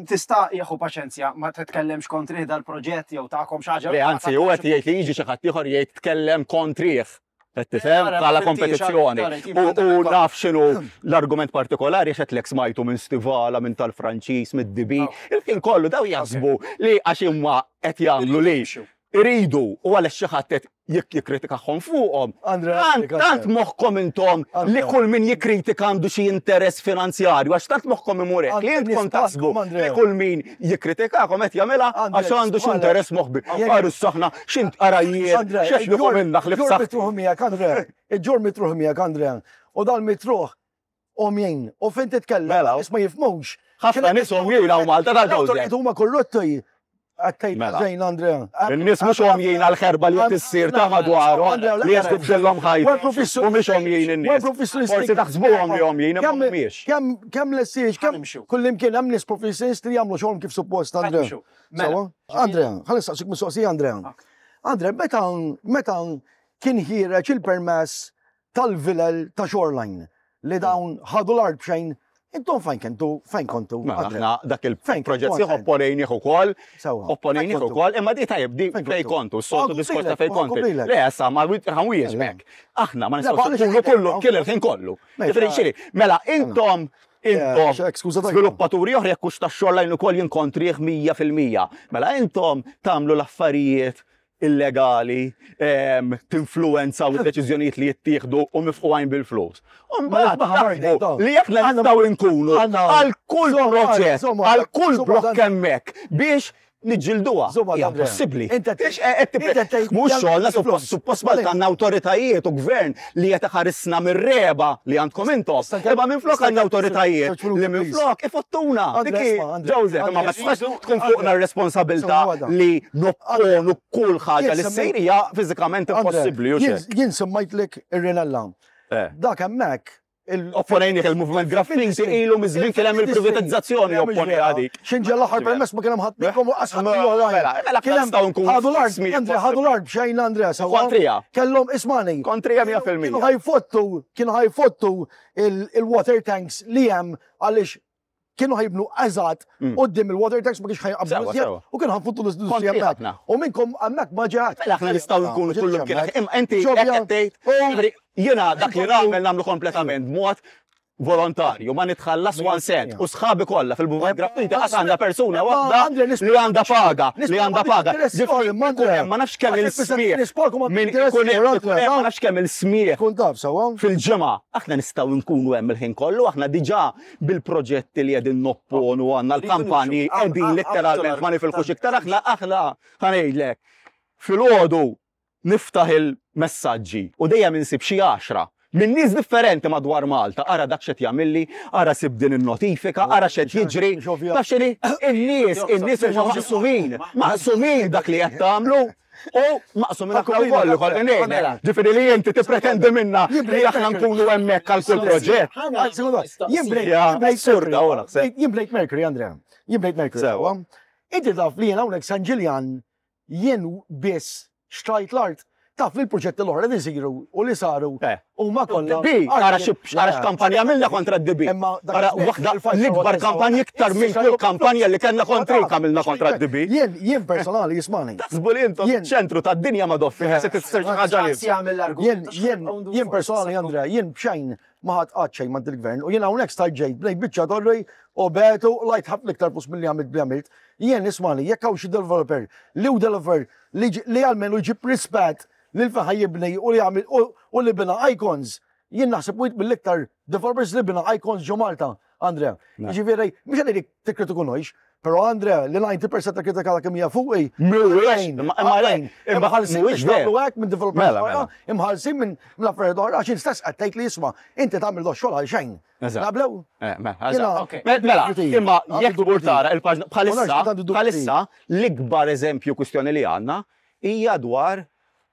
tista' jieħu paċenzja, ma titkellemx kontrih dal-proġett jew tagħkom xi ħaġa. Le, anzi, hu qed jgħid li jiġi xi ħadd ieħor jgħid tkellem kontrih. Qed tifhem bħala kompetizzjoni. U naf x'inhu l-argument partikolari għax qed lek smajtu minn Stivala, minn tal-Franċiż, mid-D B. Il-ħin kollu daw jaħsbu li għax huma qed jagħmlu li iridu u għaliex xi ħadd qed jikkritikahom fuqhom. Tant moħħkom intom li kull min jikkritika għandu xi interess finanzjarju, għax tant moħħkom imur hekk li intkom taħsbu li kull min jikkritikakom qed jagħmilha għax għandu xi interess moħbi. Qaru s-saħna x'int qarajiet, x'għax minna ħlif saħ. Iġġur mitruħ miegħek, Andrea. U dal-mitruħ omjien u fejn titkellem nies ma jifhmux. Ħafna nies omjien hawn Malta tal-Joseph. Huma korrotti. Għattajt ġejn, Andrea. Il-nies mhux omjien għal-ħerba li qed issir ta' madwarhom li qed tibdilhom ħajtu. U mhux omjien in-nies. Forsi taħsbuhom li omjien imma mhumiex. Kemm lessiex, kemm kullimkien hemm nies professjonisti li jagħmlu xogħolhom kif suppost, Andrea. Sewwa? Andrea, ħalli nistaqsik mistoqsija, Andrea. Andrea, meta meta kien ħiereġ il-permess tal-vilel ta' Shoreline li dawn ħadu l-art b'xejn, intom fejn kentu, fejn kontu? Mela, aħna dak il-proġett sieħ opponejnih ukoll, opponejnih ukoll, imma di tajjeb di fejn kontu, s-soltu diskors ta' fejn kontu. Le, issa ma ħanwieġbek. Aħna ma nistgħux nkunu kullu kien il-ħin kollu. Ġifieri, mela intom intom sviluppaturi oħra jekk hux tax-Shoreline ukoll jinkontrih mija fil-mija. Mela intom tagħmlu l-affarijiet illegali, tinfluenzaw id-deċiżjonijiet li jittieħdu u mifqugħin bil-flus. U mbagħad li jekk nistgħu nkunu għal kull proġett, għal kull blokk hemmhekk biex niġġilduha. Hija possibbli. Mhux xogħolna suppost Malta għandna awtoritajiet u gvern li qed iħarisna mir-reba li għandkom intom. Imma minflok għandna awtoritajiet li minflok ifottuna. Joseph, imma ma tistax tkun fuqna r-responsabilità li nopponu kull ħaġa li ssir hija fiżikament impossibbli. Jien semmajtlek ir-Rinella. Dak hemmhekk Opponejnik il-movement graffiti ilu miż-żmien kien hemm il-privatizzazzjoni opponi għadik. Xinġa l-aħħar permess ma kien hemm ħadd minnkom u qas ħadd Mela, mela Kien hemm nistgħu nkunu ħadu l-art, smijiet Andrea, ħadu l-art b'xejn Andrea sewwa. Kontrija. Kellhom ismani. Kontrija mija fil-mija. Kienu ħajfottu, kienu ħajfottu il-water tanks li hemm għaliex kienu ħajbnu eżatt Mm. quddiem il-water tanks ma kienx ħajqabdu Sewwa, iżjed sewwa. u kienu ħafuttu l-industrija Kontrija hemmhekk. ħafna. U minnkom hemmhekk ma ġeħat. Mela aħna nistgħu nkunu kullum kien. Imma inti hekk qed tgħid, jiġifieri, jiena dak li nagħmel nagħmlu kompletament b'mod volontarju, ma nitħallas one cent u sħabi kollha fil-movement graffiti qas għandha persuna waħda li għandha paga, li għandha paga. Ġifieri, Ma nafx kemm il-smieħ. Min ikun hemm- ikun hemm- ma nafx kemm il-smieħ Kun taf sewwa. fil-ġimgħa aħna nistgħu nkunu hemm il-ħin kollu, aħna diġà bil-proġetti li qegħdin nopponu għandna l-kampanji qegħdin letteralment ma nifilħux iktar aħna aħna ħa ngħidlek. Filgħodu niftaħ il-messaġġi u dejjem insib xi għaxra minn nies differenti madwar Malta, ara dak x'qed jagħmilli, ara sib din in-notifika, ara x'qed jiġri. Taf x'inhi? In-nies, in-nies huma maqsumin, maqsumin dak li qed tagħmlu. U maqsumin aħna wkoll ukoll ngħidlek. Ġifieri li inti tippretendi minna li aħna nkunu hemmhekk għal kull proġett. Jien bnejt Ja, jien bnejt assurda, Mercury. u naħseb. Jien bnejt Mercury, Andrea. Jien bnejt Mercury. Sewwa. Inti taf li jien hawnhekk San Ġiljan jien biss xtrajt l-art taf li l-proġetti l-oħra li jsiru u li saru Eh. huma kollha. D B, ara xi ara x'kampanja għamilna kontra d D B. Imma dak Ara iż-żmien, waħda il-five l-ikbar star kampanja iktar minn kull kampanja li kellna kontrik għamilna kontra d D B. Jien jien personali jismani. Taħsbu li intom Jien- ċentru tad-dinja ma doffi, se tifsir xi ħaġa li. Jien jien jien personali Andrea, jien b'xejn ma ħadd qatt xejn ma' il-gvern u jien hawnhekk stajt ġejt bnejt biċċa torri u betu lajt ħafna iktar flus milli għamilt bli għamilt. Jien ismani jekk hawn xi developer li hu developer li ġi- li għalmenu jġib rispett lil fejn jibni u li għamil u u li bina icons. Jien naħseb wieħed mill-iktar developers li bina icons ġo Malta, Andrea. Jiġifieri, mhux qed ngħidlek tikkritikunojx, però Andrea li disgħin fil-mija ta' kritika kemm hija fuqi. Mhuwiex, imma imma le, imma Imħallsin mhuwiex biex veru. tagħmlu hekk minn developers Mela, oħra, mela. imħallsin minn mill-affarijiet oħra għax stess qed tgħid li isma' inti tagħmel do xogħol għal xejn. Eżatt. Naqblew? Eh, mela, Jiena- eżatt. Ok. Mela, imma Għandu jekk tmur dubji. tara il-paġna Ma nafx bħalissa, għandu dubji. bħalissa l-ikbar eżempju kwistjoni li għandna hija dwar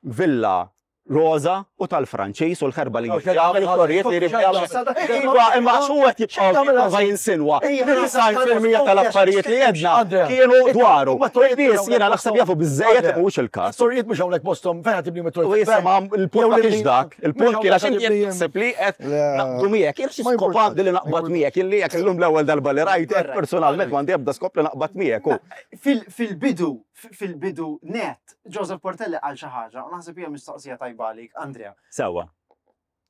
Villa Rosa u tal-Franċiż u l-ħerba li jagħmel it-torrijiet li jrid jagħmel. Iva, imma xu qed jibqa' jibqa' jinsinwa. Disgħin fil-mija tal-affarijiet li għedna Andrea, kienu dwaru. ma torrijiet Nies jiena naħseb jafu biżejjed li mhuwiex il-każ. Torrijiet mhux hawnhekk posthom fejn qed tibni U mit-torrijiet. jisma il-punt ma kienx dak, il-punt kien għax inti qed taħseb li qed Le. naqbdu miegħek, jien xi Ma skop importax, għandi li ma naqbad miegħek, jien li jekk illum l-ewwel darba li rajtek personalment m'għandi ebda skop li naqbad miegħek. u. Fil- Fil-bidu, fil-bidu net, Joseph Portelli qal xi ħaġa, u naħseb hija mistoqsija tajba għalik, Andrea. Sewwa.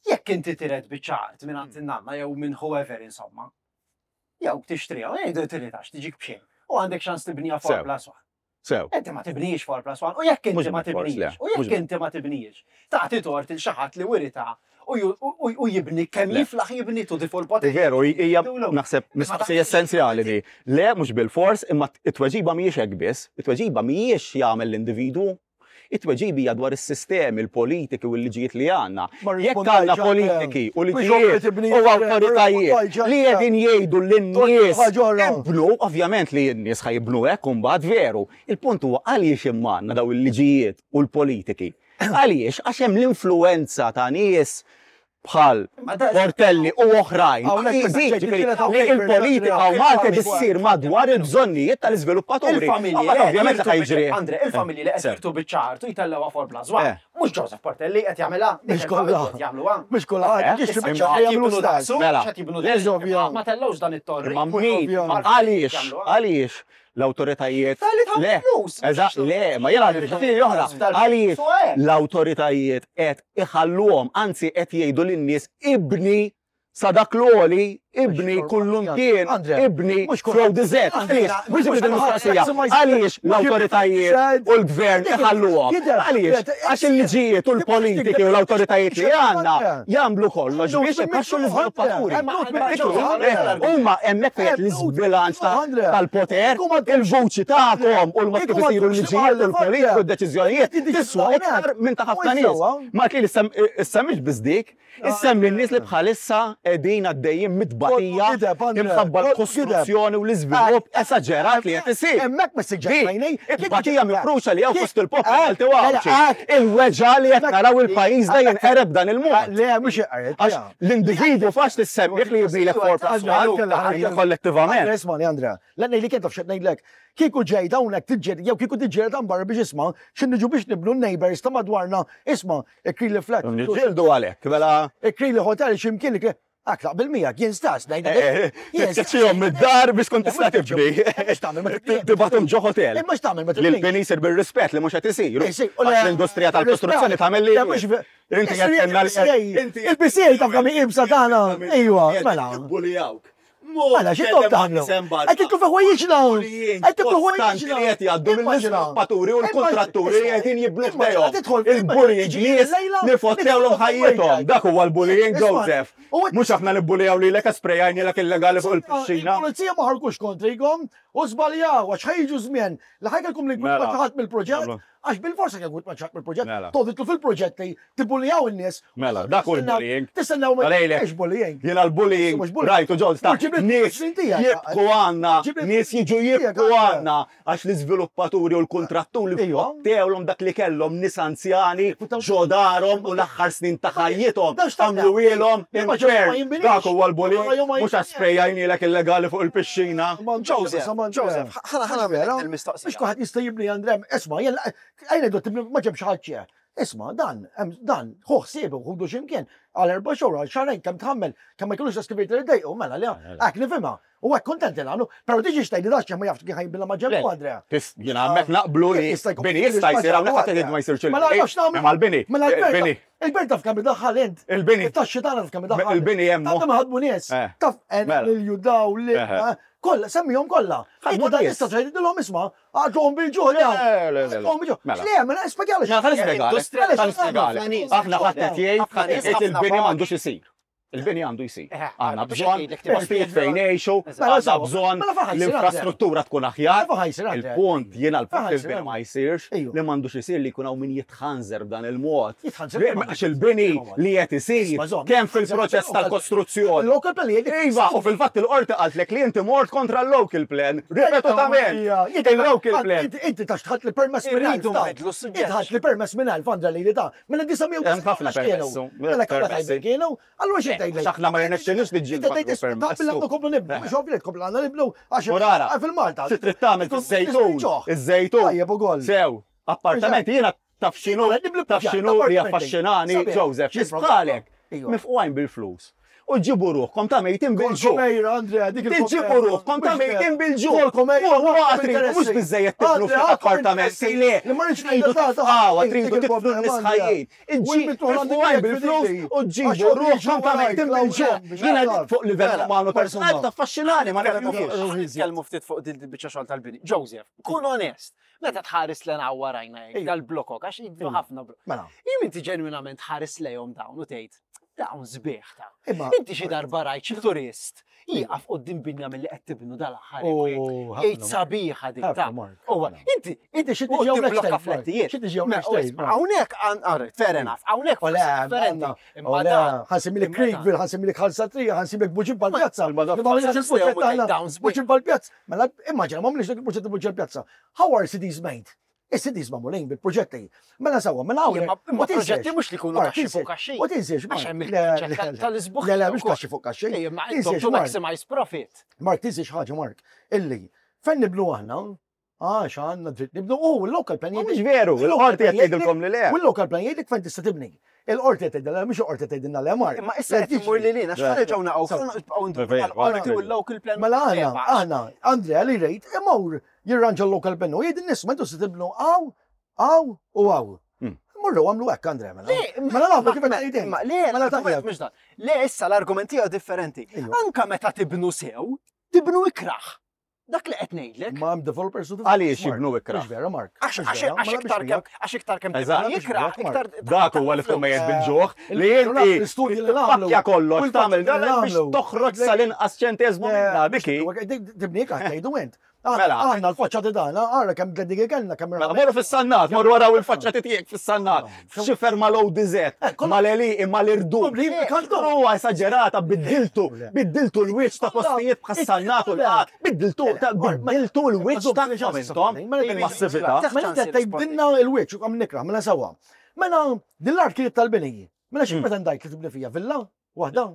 Jekk inti tiret biċċa art minn għand in-nanna jew minn whoever insomma, jew tixtriha, u jgħidu tiritax tiġik b'xejn. U għandek ċans tibniha four Sew. plus one. Sew. Inti ma tibnijiex four plus one, u jekk Mhux inti ma bil-fors, le. tibnijiex, u jekk Mhux inti ma tibnijiex, tagħti tort il xi ħadd li wirita u ju- u u jibni kemm Le. jiflaħ jibni to the full potential. Veru, hija Dulu. naħseb mistoqsija essenzjali di. Le, mhux bil-fors, imma it-tweġiba mhijiex hekk biss, it-tweġiba mhijiex jagħmel l-individwu. It-tweġiba hija dwar is-sistemi, il-politiki u l-liġijiet li għandna. Ma Jekk għandna rispondajx, politiki u Mhux liġijiet tibni, u awtoritajiet li qegħdin jgħidu lin-nies Ħaġa oħra. ibnu, ovvjament li n-nies ħa jibnu hekk u mbagħad veru. Il-punt huwa għaliex imma għandna daw il-liġijiet u l-politiki. Għaliex għax hemm l-influenza ta' nies bħal Ma da- Portelli u oħrajn. Hawnhekk Iżid, meta ġifieri, ġejt li il-politika u Malta issir madwar il-bżonnijiet tal-iżviluppaturi. Il-familji Mbagħad li qed Ovvjament jirtu ħa jiġri. biċ- Andre, il-familji li qed Sew. jirtu biċċa art u jtellgħuha four plus one. Eh. Mhux Joseph Portelli qed jagħmilha, dik Mhux il-familji kollha. qed jagħmluha. Mhux kollha, Eh, ġiex Issa biċċa qed jagħmlu jibnu stess. daqsu, Mela. x'qed jibnu Le, daqsu. ovvja. Ma tellgħux dan it-torri. Imma min? Ovvja. Għaliex? Jagħmluha. Għaliex l-autoritajiet. Tal-li tagħmel Le, flus. eżatt, le, ma jena għaliex oħra. Għaliex l-autoritajiet qed iħalluhom, anzi qed jgħidu lin-nies ibni sa dak l-għoli, ibni kullumkien, Andrea, ibni mhux kull- flow dizet. Andrea, Għaliex, mhux mhux ibni il-mistoqsija, kulħadd- għaliex l-autoritajiet u l-gvern iħalluhom. Jidher, Għaliex, jidher, għax il-liġijiet u l-politiki u l-autoritajiet li għandna jagħmlu kollox biex ipaxxu l-iżviluppaturi. Huma hemmhekk fejn l-iżbilanċ ta' tal-poter, il-vuċi tagħkom u l-mod kif isiru l-liġijiet u l-politiki u d-deċiżjonijiet tiswa iktar minn ta' ħafna nies. Ma kien issa mhix biss dik, issemmi n-nies li bħalissa qegħdin għaddejjin mitbatija t-batija, imħabba l-kostruzzjoni u l-iżvilupp esaġerat li qed isir. Hemmhekk ma siġġejnejn. It-batija mifruxa li hawn fost il-poplu Malti u Għawdxi. Il-weġgħa li qed naraw il-pajjiż da jinqereb dan il-mod. Le, mhux inqered. Għax l-individwu faċli ssemmih li jibnilek four plus one kollettivament. Ismani, Andrea, la ngħidlek int taf x'qed ngħidlek. Kieku ġejt hawnhekk tiġġieled jew kieku tiġġieled hawn barra biex isma' x'in niġu biex nibnu n-neighbors ta' madwarna, isma' Ikrili flat. Niġġieldu għalhekk, mela. Ikrili hotel x'imkien Ak taqbel miegħek, jien stess ngħidlek. Tkeċċihom mid-dar biex tkun tista' tibni. Tibgħathom ġo hotel. Imma x'tagħmel meta Li l-bini jsir bir-rispett li mhux qed isir. L-industrija tal-kostruzzjoni tagħmel li. Inti qed Il-P C A taf kemm hi iebsa tagħna. Ejwa, mela. Bullijawk. Mela, x'intom tagħmlu? Qed titlu fi ħwejjiġna. Qed titlu ħwejjiġna. Li qed jgħaddu mill-iżviluppaturi u l-kontratturi li qegħdin jibnu ħdejhom. Il-bullying nies li fottewlhom ħajjithom. Dak huwa l-bullying, Joseph. Mhux aħna nibbulijaw lilek sprejajnielek illegali fuq il-pixxina. Il-pulizija ma ħarkux kontrikom u żbaljaw għax ħajġu żmien li ħajkelkom li jkun ħadd mill-proġett. Għax bil-forsa kien ma ċaq mill-proġett, toqgħod fil-proġett li tibbulijaw in-nies. Mela, dak hu l-bullying. Tistennew ma mhux bullying. Jiena l-bullying, rajtu ġol ta' nies jibku għandna, nies jiġu jibku għandna għax l-iżviluppaturi u l-kontratturi fottewlhom dak li kellhom nies anzjani ġo darhom u l-aħħar snin ta' ħajjithom għamluhielhom infern. Dak huwa l-bullying, mhux għax sprejajnielek illegali fuq il-pixxina. Joseph, Joseph, ħana ħana il-mistoqsija. Mhux kulħadd jista' jibni Andrem, isma' jien għajna dott ma ġemx ħadd. Isma, dan, dan, ħu ħsiebu, ħudu x'imkien, għal erba' xhur, għal xahrejn kemm tħammel, kemm ma jkollux excavator iddejqu, mela le, hekk nifhimha. U hekk kontent nagħmlu, però tiġi xtgħidli dax ma jafx kif ħajbilla ma ġembu Andrea. Jiena hemmhekk naqblu li bini jista' jsir hawnhekk ħadd jgħid ma jsirx il-bini. Mela nafx nagħmlu. Imma l-bini. Mela l-bini. Il-bini taf kemm idaħħal int. Il-bini. It-taxxi tagħna taf kemm idaħħal. Il-bini hemm. Taf kemm ħadmu nies. Taf lil judaw li kollha, semmihom kollha. Inti dan tista' tgħidilhom isma' għadhom bil-ġuħ. Għadhom bil-ġuħ. Le, mela spjegalek. Aħna ħadd qed jgħid il-bini m'għandux isir. Il-bini għandu jsir. Għandna bżonn postijiet fejn ngħixu, għandna bżonn l-infrastruttura tkun aħjar. Il-punt jiena l-punt il-bini ma jsirx li m'għandux isir li jkun hawn min jitħanżer b'dan il-mod. Għax il-bini li qed isir kemm fil-proċess tal-kostruzzjoni. Il-local plan jgħidlek. Iva, u fil-fatt il-qorti qaltlek li inti mort kontra l-local plan. Ripetutament. Il-local plan. Inti tax tħadd li permess minn elf. Inti ħadd li permess minn elf għandha li ta' minn disa' Hemm ħafna permessu. Mela kienu, allura xi tgħidlek? Aħna ma rnexxinux niġġieldu permess. Taqbel komplu nibnu, mhux ovvju tkomplu għandna nibnu għax fil-Malta. Xi trid tagħmel fiż-żejtun? Iż-żejtun. Tajjeb ukoll. Sew, appartamenti jiena taf x'inhu taf x'inhu li affaxxinani Joseph, x'isbħalek. Mifqugħin bil-flus. U ġibu ruħkom ta' mejtin bil-ġuħ. Ġibu ruħkom ta' mejtin bil-ġuħ. Mhux biżejjed tibnu appartamenti le. Tridu titfgħu, tridu titfgħu n-nies ħajjin. Mifqugħin bil-flus u ġibu ruħkom ta' mejtin bil-ġuħ. Jiena fuq livell umanu personali taffaxxinani ma nifhimx. Nitkellmu ftit fuq din il-biċċa xogħol tal-bini. Joseph, kun onest. Meta tħares lejn warajna dal-blokok, għax jidru ħafna blokok. Mela. Jien inti ġenwinament ħares lejhom dawn u tgħid, dawn sbieħ ta' Imma Inti xi darba rajt xi turist jieqaf quddiem binja milli qed tibnu dal-aħħar. Jgħid sabiħa dik ta' Uwa, inti inti xi tiġi hawnhekk blokka flettijiet. Xi tiġi hawnhekk. Hawnhekk fair enough, hawnhekk differenti. Imma ħa nsemmilek Creekville, ħa nsemmilek Ħal Satrija, ħa nsemmilek Buġibba l-Pjazza. Buġibba l-Pjazza. Mela immaġina m'għamlix dak il-proġett Buġibba l-Pjazza. How are cities made? Is-cities magħmulin bil-proġetti. Mela sewwa, mela hawn. Imma proġetti mhux li jkunu kaxxi fuq kaxxi. U tinsiex, Għax hemm il-kunċett tal-isbuħ. Le, le, mhux kaxxi fuq kaxxi. Imma intom to maximize profit. Mark, tinsiex ħaġa, Mark, illi fejn nibnu aħna, għax għandna dritt nibnu, u l-local plan Mhux veru, il-qorti qed tgħidilkom li le. U l-local plan jgħidlek fejn tista' tibni. Il-qorti qed tgħidilna, mhux il-qorti tgħidilna le, Mark. Imma issa qed imur li lina, x'ħa nerġgħu naqgħu, nibqgħu u l-local plan. Mela aħna, aħna, Andrea li rejt, imur jirranġa l-local plan u jgħid in-nies ma intu se tibnu hawn, hawn u hawn. Morru għamlu hekk, Andrea, mela. Mela nagħmlu kif qed tgħid. Le, Mela tajjeb. mhux dan. Le, issa l-argument tiegħu differenti. Anka meta tibnu sew, tibnu ikraħ. Dak li qed ngħidlek. Ma hemm developers u Għaliex jibnu ikraħ? Mhux vera, Mark. Għax iktar kemm għax iktar kemm tibnu ikraħ, iktar. Dak huwa li tkun mejjet bil-ġuħ li inti tpakkja kollox tagħmel dan biex toħroġ sal-inqas ċenteżmu minna diki. Tibni ikraħ tgħidu int. Mela. Aħna l-faċċati tagħna, ara kemm tleddigi kellna, kemm Mela, morru fis-sannat, morru waraw il-faċċati tiegħek fis-sannat. Xifer mal-O D Z, mal-Eli, mal-Irdum. Huwa esaġerata, biddiltu, biddiltu l-wiċċ ta' postijiet bħas-sannat u l-qat, biddiltu, biddiltu l-wiċċ ta' intom, il-massività. Mela inti qed tgħidilna l-wiċċ u kemm nikrah, mela sewwa. Mela din l-art kienet tal-bini. Mela xi pretendajt li tibni fija villa waħda?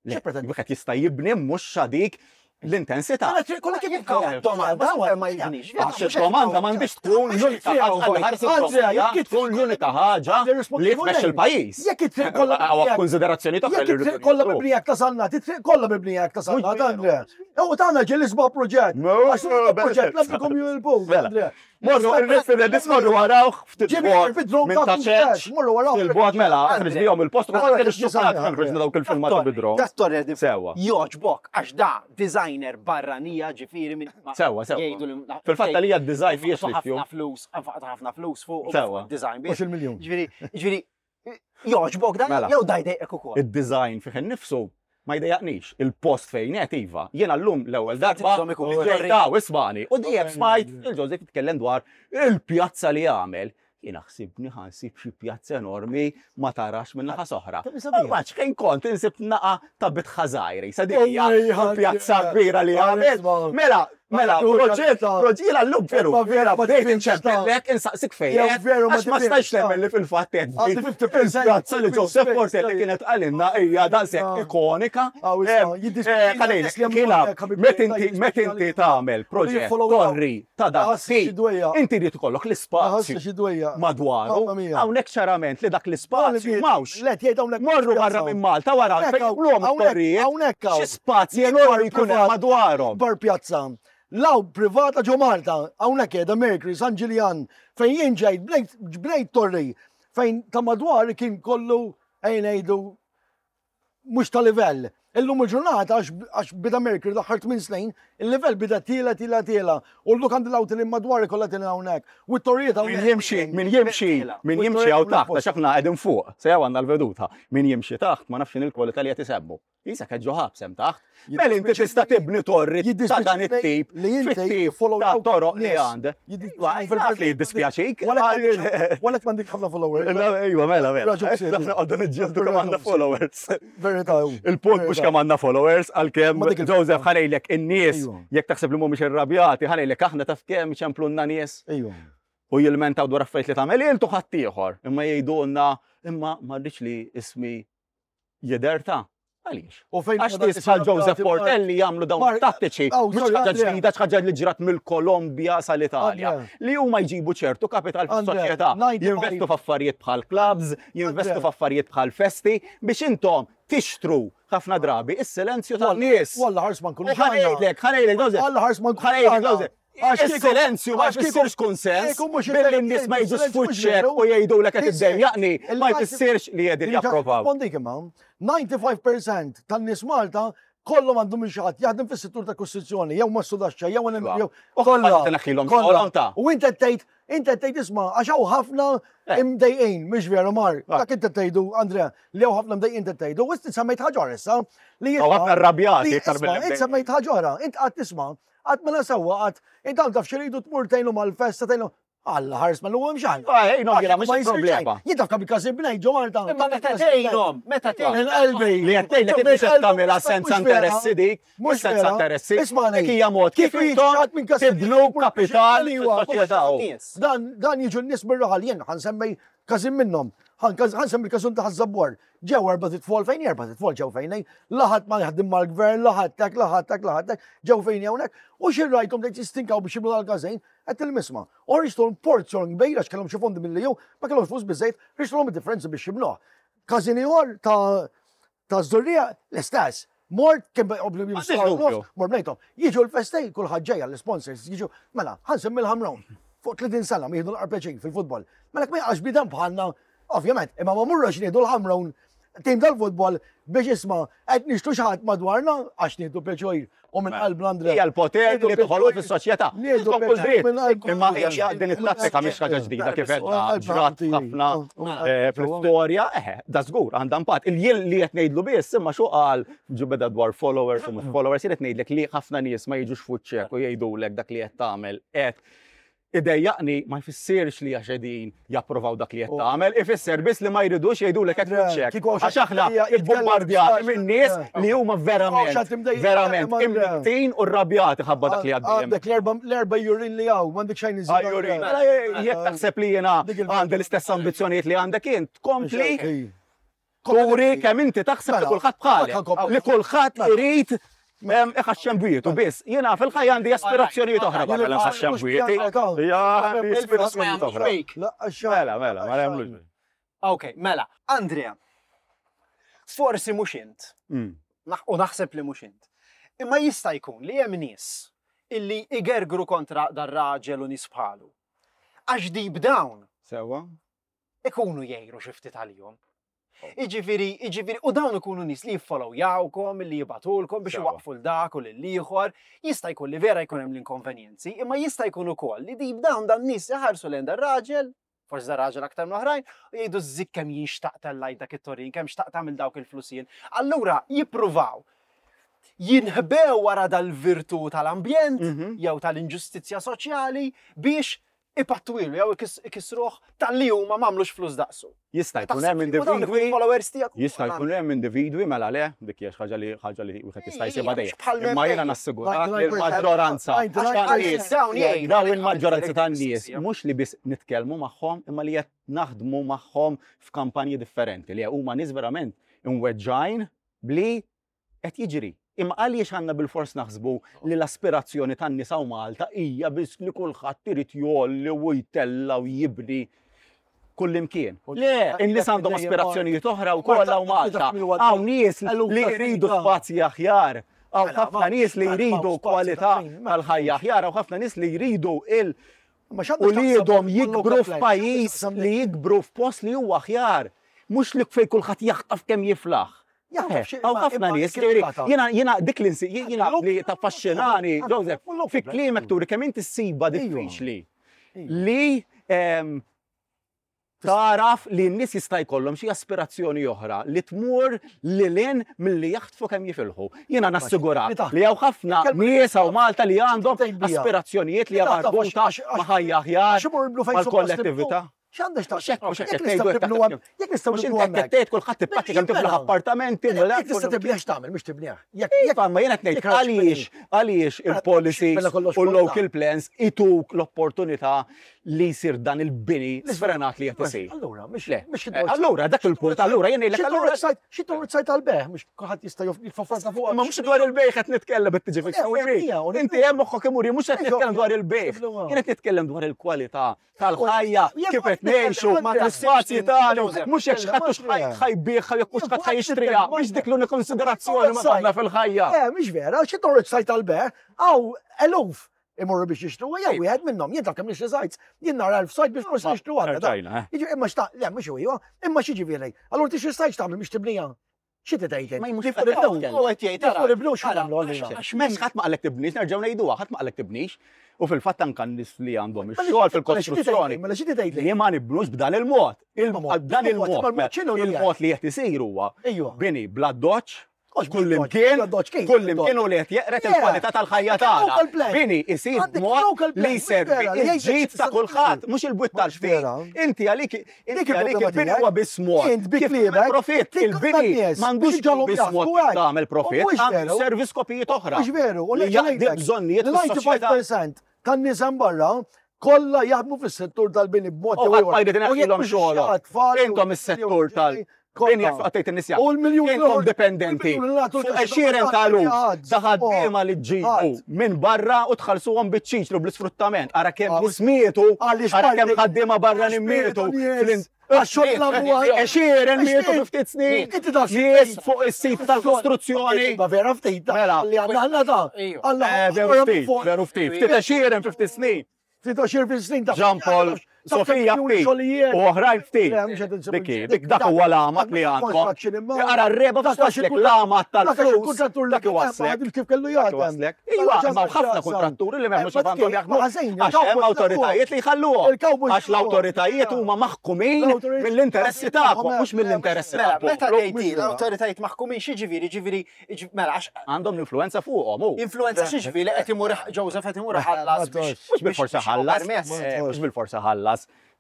Xi pretendajt? Wieħed jista' jibni mhux xadik l-intensità. Mela triq kollha kif Jekk domanda ma jibnix. Għax il-domanda m'għandix tkun l-unika ħaġa, tkun l-unika ħaġa li tmexxi l-pajjiż. Jekk it-triq kollha Hawn konsiderazzjoni oħra Jekk it-triq kollha mibnija ta' sannat, it-triq kollha mibnija ta' sannat, Andrea. U tagħna ġie l-isbaħ proġett. Għax proġett labbikom jilbu. Mela. Morru il-referendum morru warawh ftit bogħod minn ta' ċeċ. Morru warawh. Il-bogħod mela, ħriġ bihom il-post u ħriġna dawk il-filmati bidro. Dat-torre di Sewwa. Joġbok għax da designer barranija ġifieri minn Sewwa, sewwa. Jgħidu li Fil-fatt għalija d-design fiex ħafna li flus, nfaqtu ħafna flus fuq Sewwa. design. Mhux il-miljun. Ġifieri, ġifieri joġbok dan Mela. jew da jdejqek ukoll. Id-design fih innifsu ma jdejjaqnix. Il-post fejn qed iva. Jiena llum l-ewwel darba Għandhom ikunu ġejtaw ismani. U dejjem smajt il-Joseph jitkellem dwar il-pjazza li għamel. Jiena ħsibni ħansib xi pjazza enormi ma tarax minn naħa soħra. Ma xejn kont insib naqa ta' bitħa żgħira. Sa dik hija pjazza kbira li għamel. Mela, mela, proġett, proġett l-lum veru. Ma vera, ma Bdejt tifhimx inċempellek, insaqsik fejn. Jew veru, ma Għax ma tifhimx stajx ta'. nemmen li fil-fatt qed Għandi fifty percent il-pjazza li Joseph Portelli kienet għalinna hija daqshekk Ah. ikonika. Ah, u Eh, isma', jiddispjaċini eh, Ħalejlek, li hemm kiena, ħabib met tiegħi inti jiddispjaċini met inti li- tagħmel proġett jiffollow up. torri ta' dak Ħassi xi dwejja. Inti jrid ikollok l-ispazju Ħassi xi dwejja. madwaru. Mamma mia. Hawnhekk ċarament li dak l-ispazju m'hawnx. Le, tgħid hawnhekk Morru barra minn Malta wara Hawnhekk fejn hawn, jagħmluhom hawnhekk, it-torrijiet. hawnhekk hawn. Xi spazji enormi jkun hemm madwarhom. Bar pjazza. Law privata ġo Malta, hawnhekk qiegħda Mercury, San Ġiljan, fejn jien ġejt bnejt bnejt torri, fejn ta' madwar kien kollu ejn ngħidu mhux ta' livell. Illum il-ġurnata għax għax bida Mercury l-aħħar tmien snin, il-livell bida tiela tiela tiela. U l-luk għandi l-awti li madwar kollha tiela hawnhekk. U t-torrijiet Min hawnhekk. jimxi, min jimxi, min jimxi hawn taħt, għax aħna qegħdin fuq, se jew għandna l-veduta. Min jimxi taħt ma nafx il-kwalità li qed isemmu. Isa qed ġo ħabs hemm taħt. Mela inti tista' tibni torri ta' dan it-tip Li inti fit-tip follow ta' out toroq li nies. għandek. Jiddispjaċini Naf li jiddispjaċik. Walek m'għandek ħafna followers. Ejwa, mela, mela. Raġun ksib. Aħna qogħdu niġġieldu kemm għandna followers. Verità. Il-punt mhux kemm għandna followers, għalkemm Ma dik il- Joseph ħanejlek in-nies, Ejwa. jekk taħseb li mhumiex irrabjati, ħanejlek aħna taf kemm iċemplunna nies Ejwa. u jilmentaw dwar affarijiet li tagħmel intu ħaddieħor. Imma jgħidulna imma ma rridx li ismi jidher ta'. Għaliex? U fejn Għax nies bħal Joseph Portelli jagħmlu dawn Mark- tattiċi, Oh, mhux sorry, ħaġa Andrea. ġdida, ħaġa li ġrat mill-Kolombja sal-Italja. Andrea. Li huma jġibu ċertu kapital Andrea, fis-soċjetà, ninety-five. jinvestu f'affarijiet bħal clubs, jinvestu Andrea. f'affarijiet bħal festi biex intom tixtru ħafna drabi is-silenzju tan-nies. Walla ħars ma U nkunux ħanejlek, ħanejlek, Joseph. Alla ħars ma nkunux Ħanejlek, għandna. Joseph. Għax kieku- Is-silenzju ma għax kieku- jfissirx kunsens kieku mhux billi n-nies ma jiġux il-silenzju mhux f'wiċċek veru. u jgħidulek qed Is- iddejjaqni, ma il- jfissirx li qegħdin japprovaw. Rispondik imma, ninety-five percent tan-nies Malta kollhom għandhom xi ħadd jaħdem fis-settur ta' kostruzzjoni, jew ma sudaxxa, jew Iva. jew U kollha. ħadd tneħħilhom kollha. xogħolhom ta'. U inti tgħid, inti tgħid isma' għax hawn ħafna Eh. imdejqin, mhux veru Mark. Ah. Dak inti tgħidu, Andrea, li hawn ħafna mdejqin inti tgħidu, u inti semmejt ħaġa oħra issa li Hawn ħafna rrabjati li iktar isma' mill-imdejqin. Inti semmejt ħaġa oħra, int qatt tisma' qatt mela sewwa qatt int hawn taf x'iridu tmur tgħinu mal-festa tgħinu. Alla ħares ma l-għum xejn. Ah, ejnhom jiena mhux Ma jsir problema. xejn. Jien taf kemm il-każin bnejt ġo Malta. Imma meta tgħinhom, meta tgħinhom. Minn qalbi. Li qed tgħidlek inti qed tagħmilha senza interessi dik, mhux senza interessi. Isma' Dik hija mod kif Kif intom jiġi minn każin tibnu kapital fis-soċjetà. Nies. Dan dan jiġu n-nies mir-raħal jien ħansemmi każin minnhom. Ħansemmi l-każun ta' Ħaż-Żabbar. Ġew erba' titfol fejn erba' titfol ġew fejn laħat ma jaħdem mal-gvern, laħat tek, laħat tek, laħat tek, ġew fejn hawnhekk. U xi rajthom dejt jistinkaw biex jibnu dal-każin qed il-misma. U rixtulhom porzjon kbir għax kellhom xi fondi mill-EU, ma kellhomx flus biżejjed, rixtulhom id-differenza biex jibnuh. Każin ieħor ta' ta' Żurrija l-istess. Mort kien obbligu M'għandix dubju. mort bnejthom. Jiġu l-festej, kulħadd ġejja l-sponsors, jiġu, mela, ħansemmi l-Ħamrun. Fuq tletin sena ma jieħdu l-qarpeċin fil-futbol. Mela ma jaqax bidem bħalna, ovvjament, imma ma murrox nieħdu l-Ħamrun Tim tal-futbol biex isma' qed nixtru xi ħadd madwarna għax nieħdu pjaċir u minn qalbna Andrea. Hija l-poter li toħolqu fis-soċjetà. Nieħdu Għandkom kull dritt. minn qalbna. Imma hija din it-tattika mhix ħaġa ġdida kif għedna ġrat ħafna eh, fl-istorja, eħe, da żgur għandha impatt. Il-jien li qed ngħidlu biss imma xu qal ġu beda dwar followers u mhux followers, jien qed ngħidlek li ħafna nies ma jiġux fuċċek u jgħidulek dak li qed tagħmel qed idejjaqni ma jfissirx li għax qegħdin japprovaw dak li qed tagħmel, ifisser biss li ma jridux jgħidulek qed Andrea, fuċċek. kieku Għax aħna xi ħadd ibbombardjati minn nies li huma verament, xi ħadd verament Andrea. imniktin u rrabjati ħabba dak li għaddejjem. Għandek l-erba l-erba jurin li għaw, m'għandek xejn iżid. Ajjurin, mela jekk taħseb li jiena Dik il- għandi l-istess ambizzjonijiet li għandek int, kompli Ej. turi kemm inti taħseb li Mela, kulħadd bħalek, mela, kompli. li kulħadd Mela. irid em, iħaxxem bwietu biss. Jiena fil-ħajja għandi aspirazzjonijiet oħra barra li nħaxxem bwieti. Ja, għandi aspirazzjonijiet oħra. La, għax- Mela, mela, ma nagħmlux. Ok, mela, Andrea, forsi mhux int, Mm. naħ- u naħseb li mhux int, imma jista' jkun li hemm nies illi igergru kontra dar-raġel u nies bħalu. Għax deep down Sewa? ikunu jgħiru xi ftit għalihom. Iġifieri, iġifieri, u dawn ikunu nies li jiffollowjawkom, li jibatulkom biex Sewa. iwaqfu l-dak u l-ieħor, jista' jkun li vera jkun hemm l-inkonvenjenzi, imma jista' jkun ukoll li deep down dan nies iħarsu lejn dar-raġel, forsi dar-raġel aktar minn oħrajn, u jgħidu żik kemm jien xtaqt tellajt dak it-torin, kemm xtaqt tagħmel dawk il-flusien. Allura jippruvaw jinħbew wara dal-virtu tal-ambjent Mhm. jew tal-inġustizzja soċjali biex ipatwilu jew ikis- ikisruh tal-li huma m'għamlux flus daqsu. Jista' jkun hemm Taħseb li dawn ikunu individwi followers tiegħek Jista' jkun hemm individwi mela le, dik hija xi ħaġa li ħaġa li wieħed jista' jsibha dejjem. Bħal Imma jiena nassigurak li l-maġġoranza tan-nies Dawn jgħidu. dawn il-maġġoranza tan-nies mhux li biss nitkellmu magħhom imma li qed naħdmu magħhom f'kampanji differenti li huma nies verament imweġġajn bli qed jiġri. Imma għaliex għandna bil-fors naħsbu li l-aspirazzjoni tan-nies hawn Malta hija biss li kulħadd irid jolli u jtella u jibni kullimkien. Le, in-nies għandhom aspirazzjonijiet oħra wkoll hawn Malta. Hawn nies li jridu spazji aħjar. Hawn ħafna nies li jridu kwalità tal-ħajja aħjar, hawn ħafna nies li jridu il Ma x'għandek u li x'taqsam jidhom mal- jikbru local plan? f'pajjiż X'għandek li jikbru f'post li huwa aħjar. Mhux li fejn kulħadd jaħtaf kemm jiflaħ. Jaħtaf xi- Hawn imma- ħafna imma nies, kif ġifieri, tata? jiena jiena dik li nsi- jiena li taffaxxinani, Għandek- Joseph, local fi plan. kliemek turi kemm inti ssiba Ejwa. diffiċli li em, taraf li n-nies jista' jkollhom xi aspirazzjoni oħra li tmur lil hinn milli jaħtfu kemm jifilħu. Jiena nassigurak li taħt. li hawn ħafna Kelma- nies hawn Malta li għandhom Tgħid bija. aspirazzjonijiet li Li taħt, marbuta għax- għax- ma' ħajja aħjar, Għax imur nibnu fejn suppost mal-kollettività. nibnu. X'għandek Mhux hekk, mhux hekk Jekk qed nistgħu ngħidu nibnu hekk hemm- jekk nistgħu Mhux nibnu inti qed hemmhekk. tgħid kulħadd tippakki kemm tiflaħ Mela. appartamenti, Jekk tista' tibnieh x'tagħmel mhux tibnieh. Jekk jekk Iva, ma jiena qed ngħid jekk raġ għaliex għaliex il-policies mela kollox u l-local kollha. plans ituk l-opportunità li jsir dan il-bini sfrenat li qed isir. Allura, mhux Le, mhux eh, allura dak il-punt, allura jien ngħidlek allura Xi torret sajt għal-beħ, mhux kulħadd jista' jifforza fuq. Ma mhux dwar il-bejħ qed nitkellem qed tiġi Le, u fik. hija, u Inti hemm moħħok imur, mhux qed nitkellem dwar il-bejħ. Nibluha. Jien qed nitkellem dwar il-kwalità tal-ħajja Jien kif qed nitkellem, ngħixu Andrea, l-ispazji tagħna, Joseph, mhux jekk xi ħadd hux Andrea. ħajbieħ jekk hux ħadd ħajxtriha, mhux dik l-unika konsiderazzjoni ma tagħna fil-ħajja. Eh, mhix vera, xi torret sajt għal-beħ, għaw eluf imorru biex jixtru, jew wieħed minnhom, jien taf kemm nixtri sajts, jien nara elf sajt biex forsi nixtru għandna. da. Rġajna, eh. Jiġi imma xta, le mhux huwa, imma xi ġifieri. Allura tixtri sajt x'tagħmel biex tibnija. Xi tgħid? Ma mhux Nifqu nibnu. U qed jgħid, ara, Nifqu nibnu ara, x'nagħmlu allura. Għax m'hemmx ħadd ma qalek tibnix, nerġgħu ngħiduha, ħadd ma qalek tibnix. U fil-fatt anke n-nies li għandhom ix-xogħol fil-kostruzzjoni. Mela xi tgħid li? Li ma nibnux b'dan il-mod. Il- Ma mod. Dan Il-mod, il-mod. ma l-mod x'inhu li Il-mod li qed isir huwa Ejwa. bini bla doċ, Mhux kull bla doċ, imkien, bla doċ, kif kull bla imkien u li qed jeqret Yeah. il-kwalità tal-ħajja tagħna. Local plan. Bini isir Għandek mod local plan, li mhux jservi vera, li jgħidlek il-ġid ta' x'tista' kulħadd, tagħmel. mhux il-bwiet Mhux tal-ftit. vera. Inti għalik inti Dik għalik il-problema il-bini tiegħek. huwa biss mod. Int bi Kif tagħmel kliebek, profitt, tikkonta il-bini n-nies, m'għandux biex ġolhom biss mod jaħsbu hekk. tagħmel profitt, U mhux għandu veru. servi skopijiet oħra. Mhux veru, u Li li jaqdi bżonnijiet fis-soċjetà. disgħa tan-nies hemm barra kollha jaħdmu fis-settur tal-bini b'mod U jew ħadd ieħor. ma jrid U jekk ineħħilhom mhux xogħolhom. xi tfal jew Intom is-settur tal- kollha. Bini għattejt in-nies U l-miljun Intom l-oħra- dipendenti. il-miljun l-għatu Fuq ta' għexieren ta' eluf ħadd. ta' ħaddiema li ġġibu Ħadd. minn barra u tħallsuhom biċ-ċiċlu bl-isfruttament. Ara kemm Ah, nies mietu, għaliex ara kemm parti- ħaddiema barra għax mietu. mietu nies. Għax xogħol nagħmlu Għexieren mietu Għax fi ftit snin. Inti taf xi Nies tgħid. fuq is-sit tal-kostruzzjoni. Ma vera ftit, ta' Mela. li għandna għandna ta' Ejju. Għandna Eh, Veru ftit, veru ftit. Ftit għexieren fi ftit snin. Ftit għoxrin fil snin ta' Jean Paul. Sofija ftit u oħrajn ftit. Dikki, dik dak huwa l-għamat li għandkom. Ara r-reba f'waslek l-għamat tal-flus. Dak iwaslek. Kif kellu jaħdem. Iva, ma ħafna kontratturi li m'hemmx għandhom jaħdmu. Għax hemm awtoritajiet li jħalluhom. Għax l-awtoritajiet huma maħkumin mill-interessi tagħkom, mhux mill-interessi tagħkom. Meta tgħid l-awtoritajiet maħkumin x'jiġifieri, ġifieri, mela għax għandhom l-influenza fuqhom. Influenza x'jiġifieri qed imur Joseph qed imur ħallas. Mhux bil-forsa ħallas. Mhux bil-forsa ħallas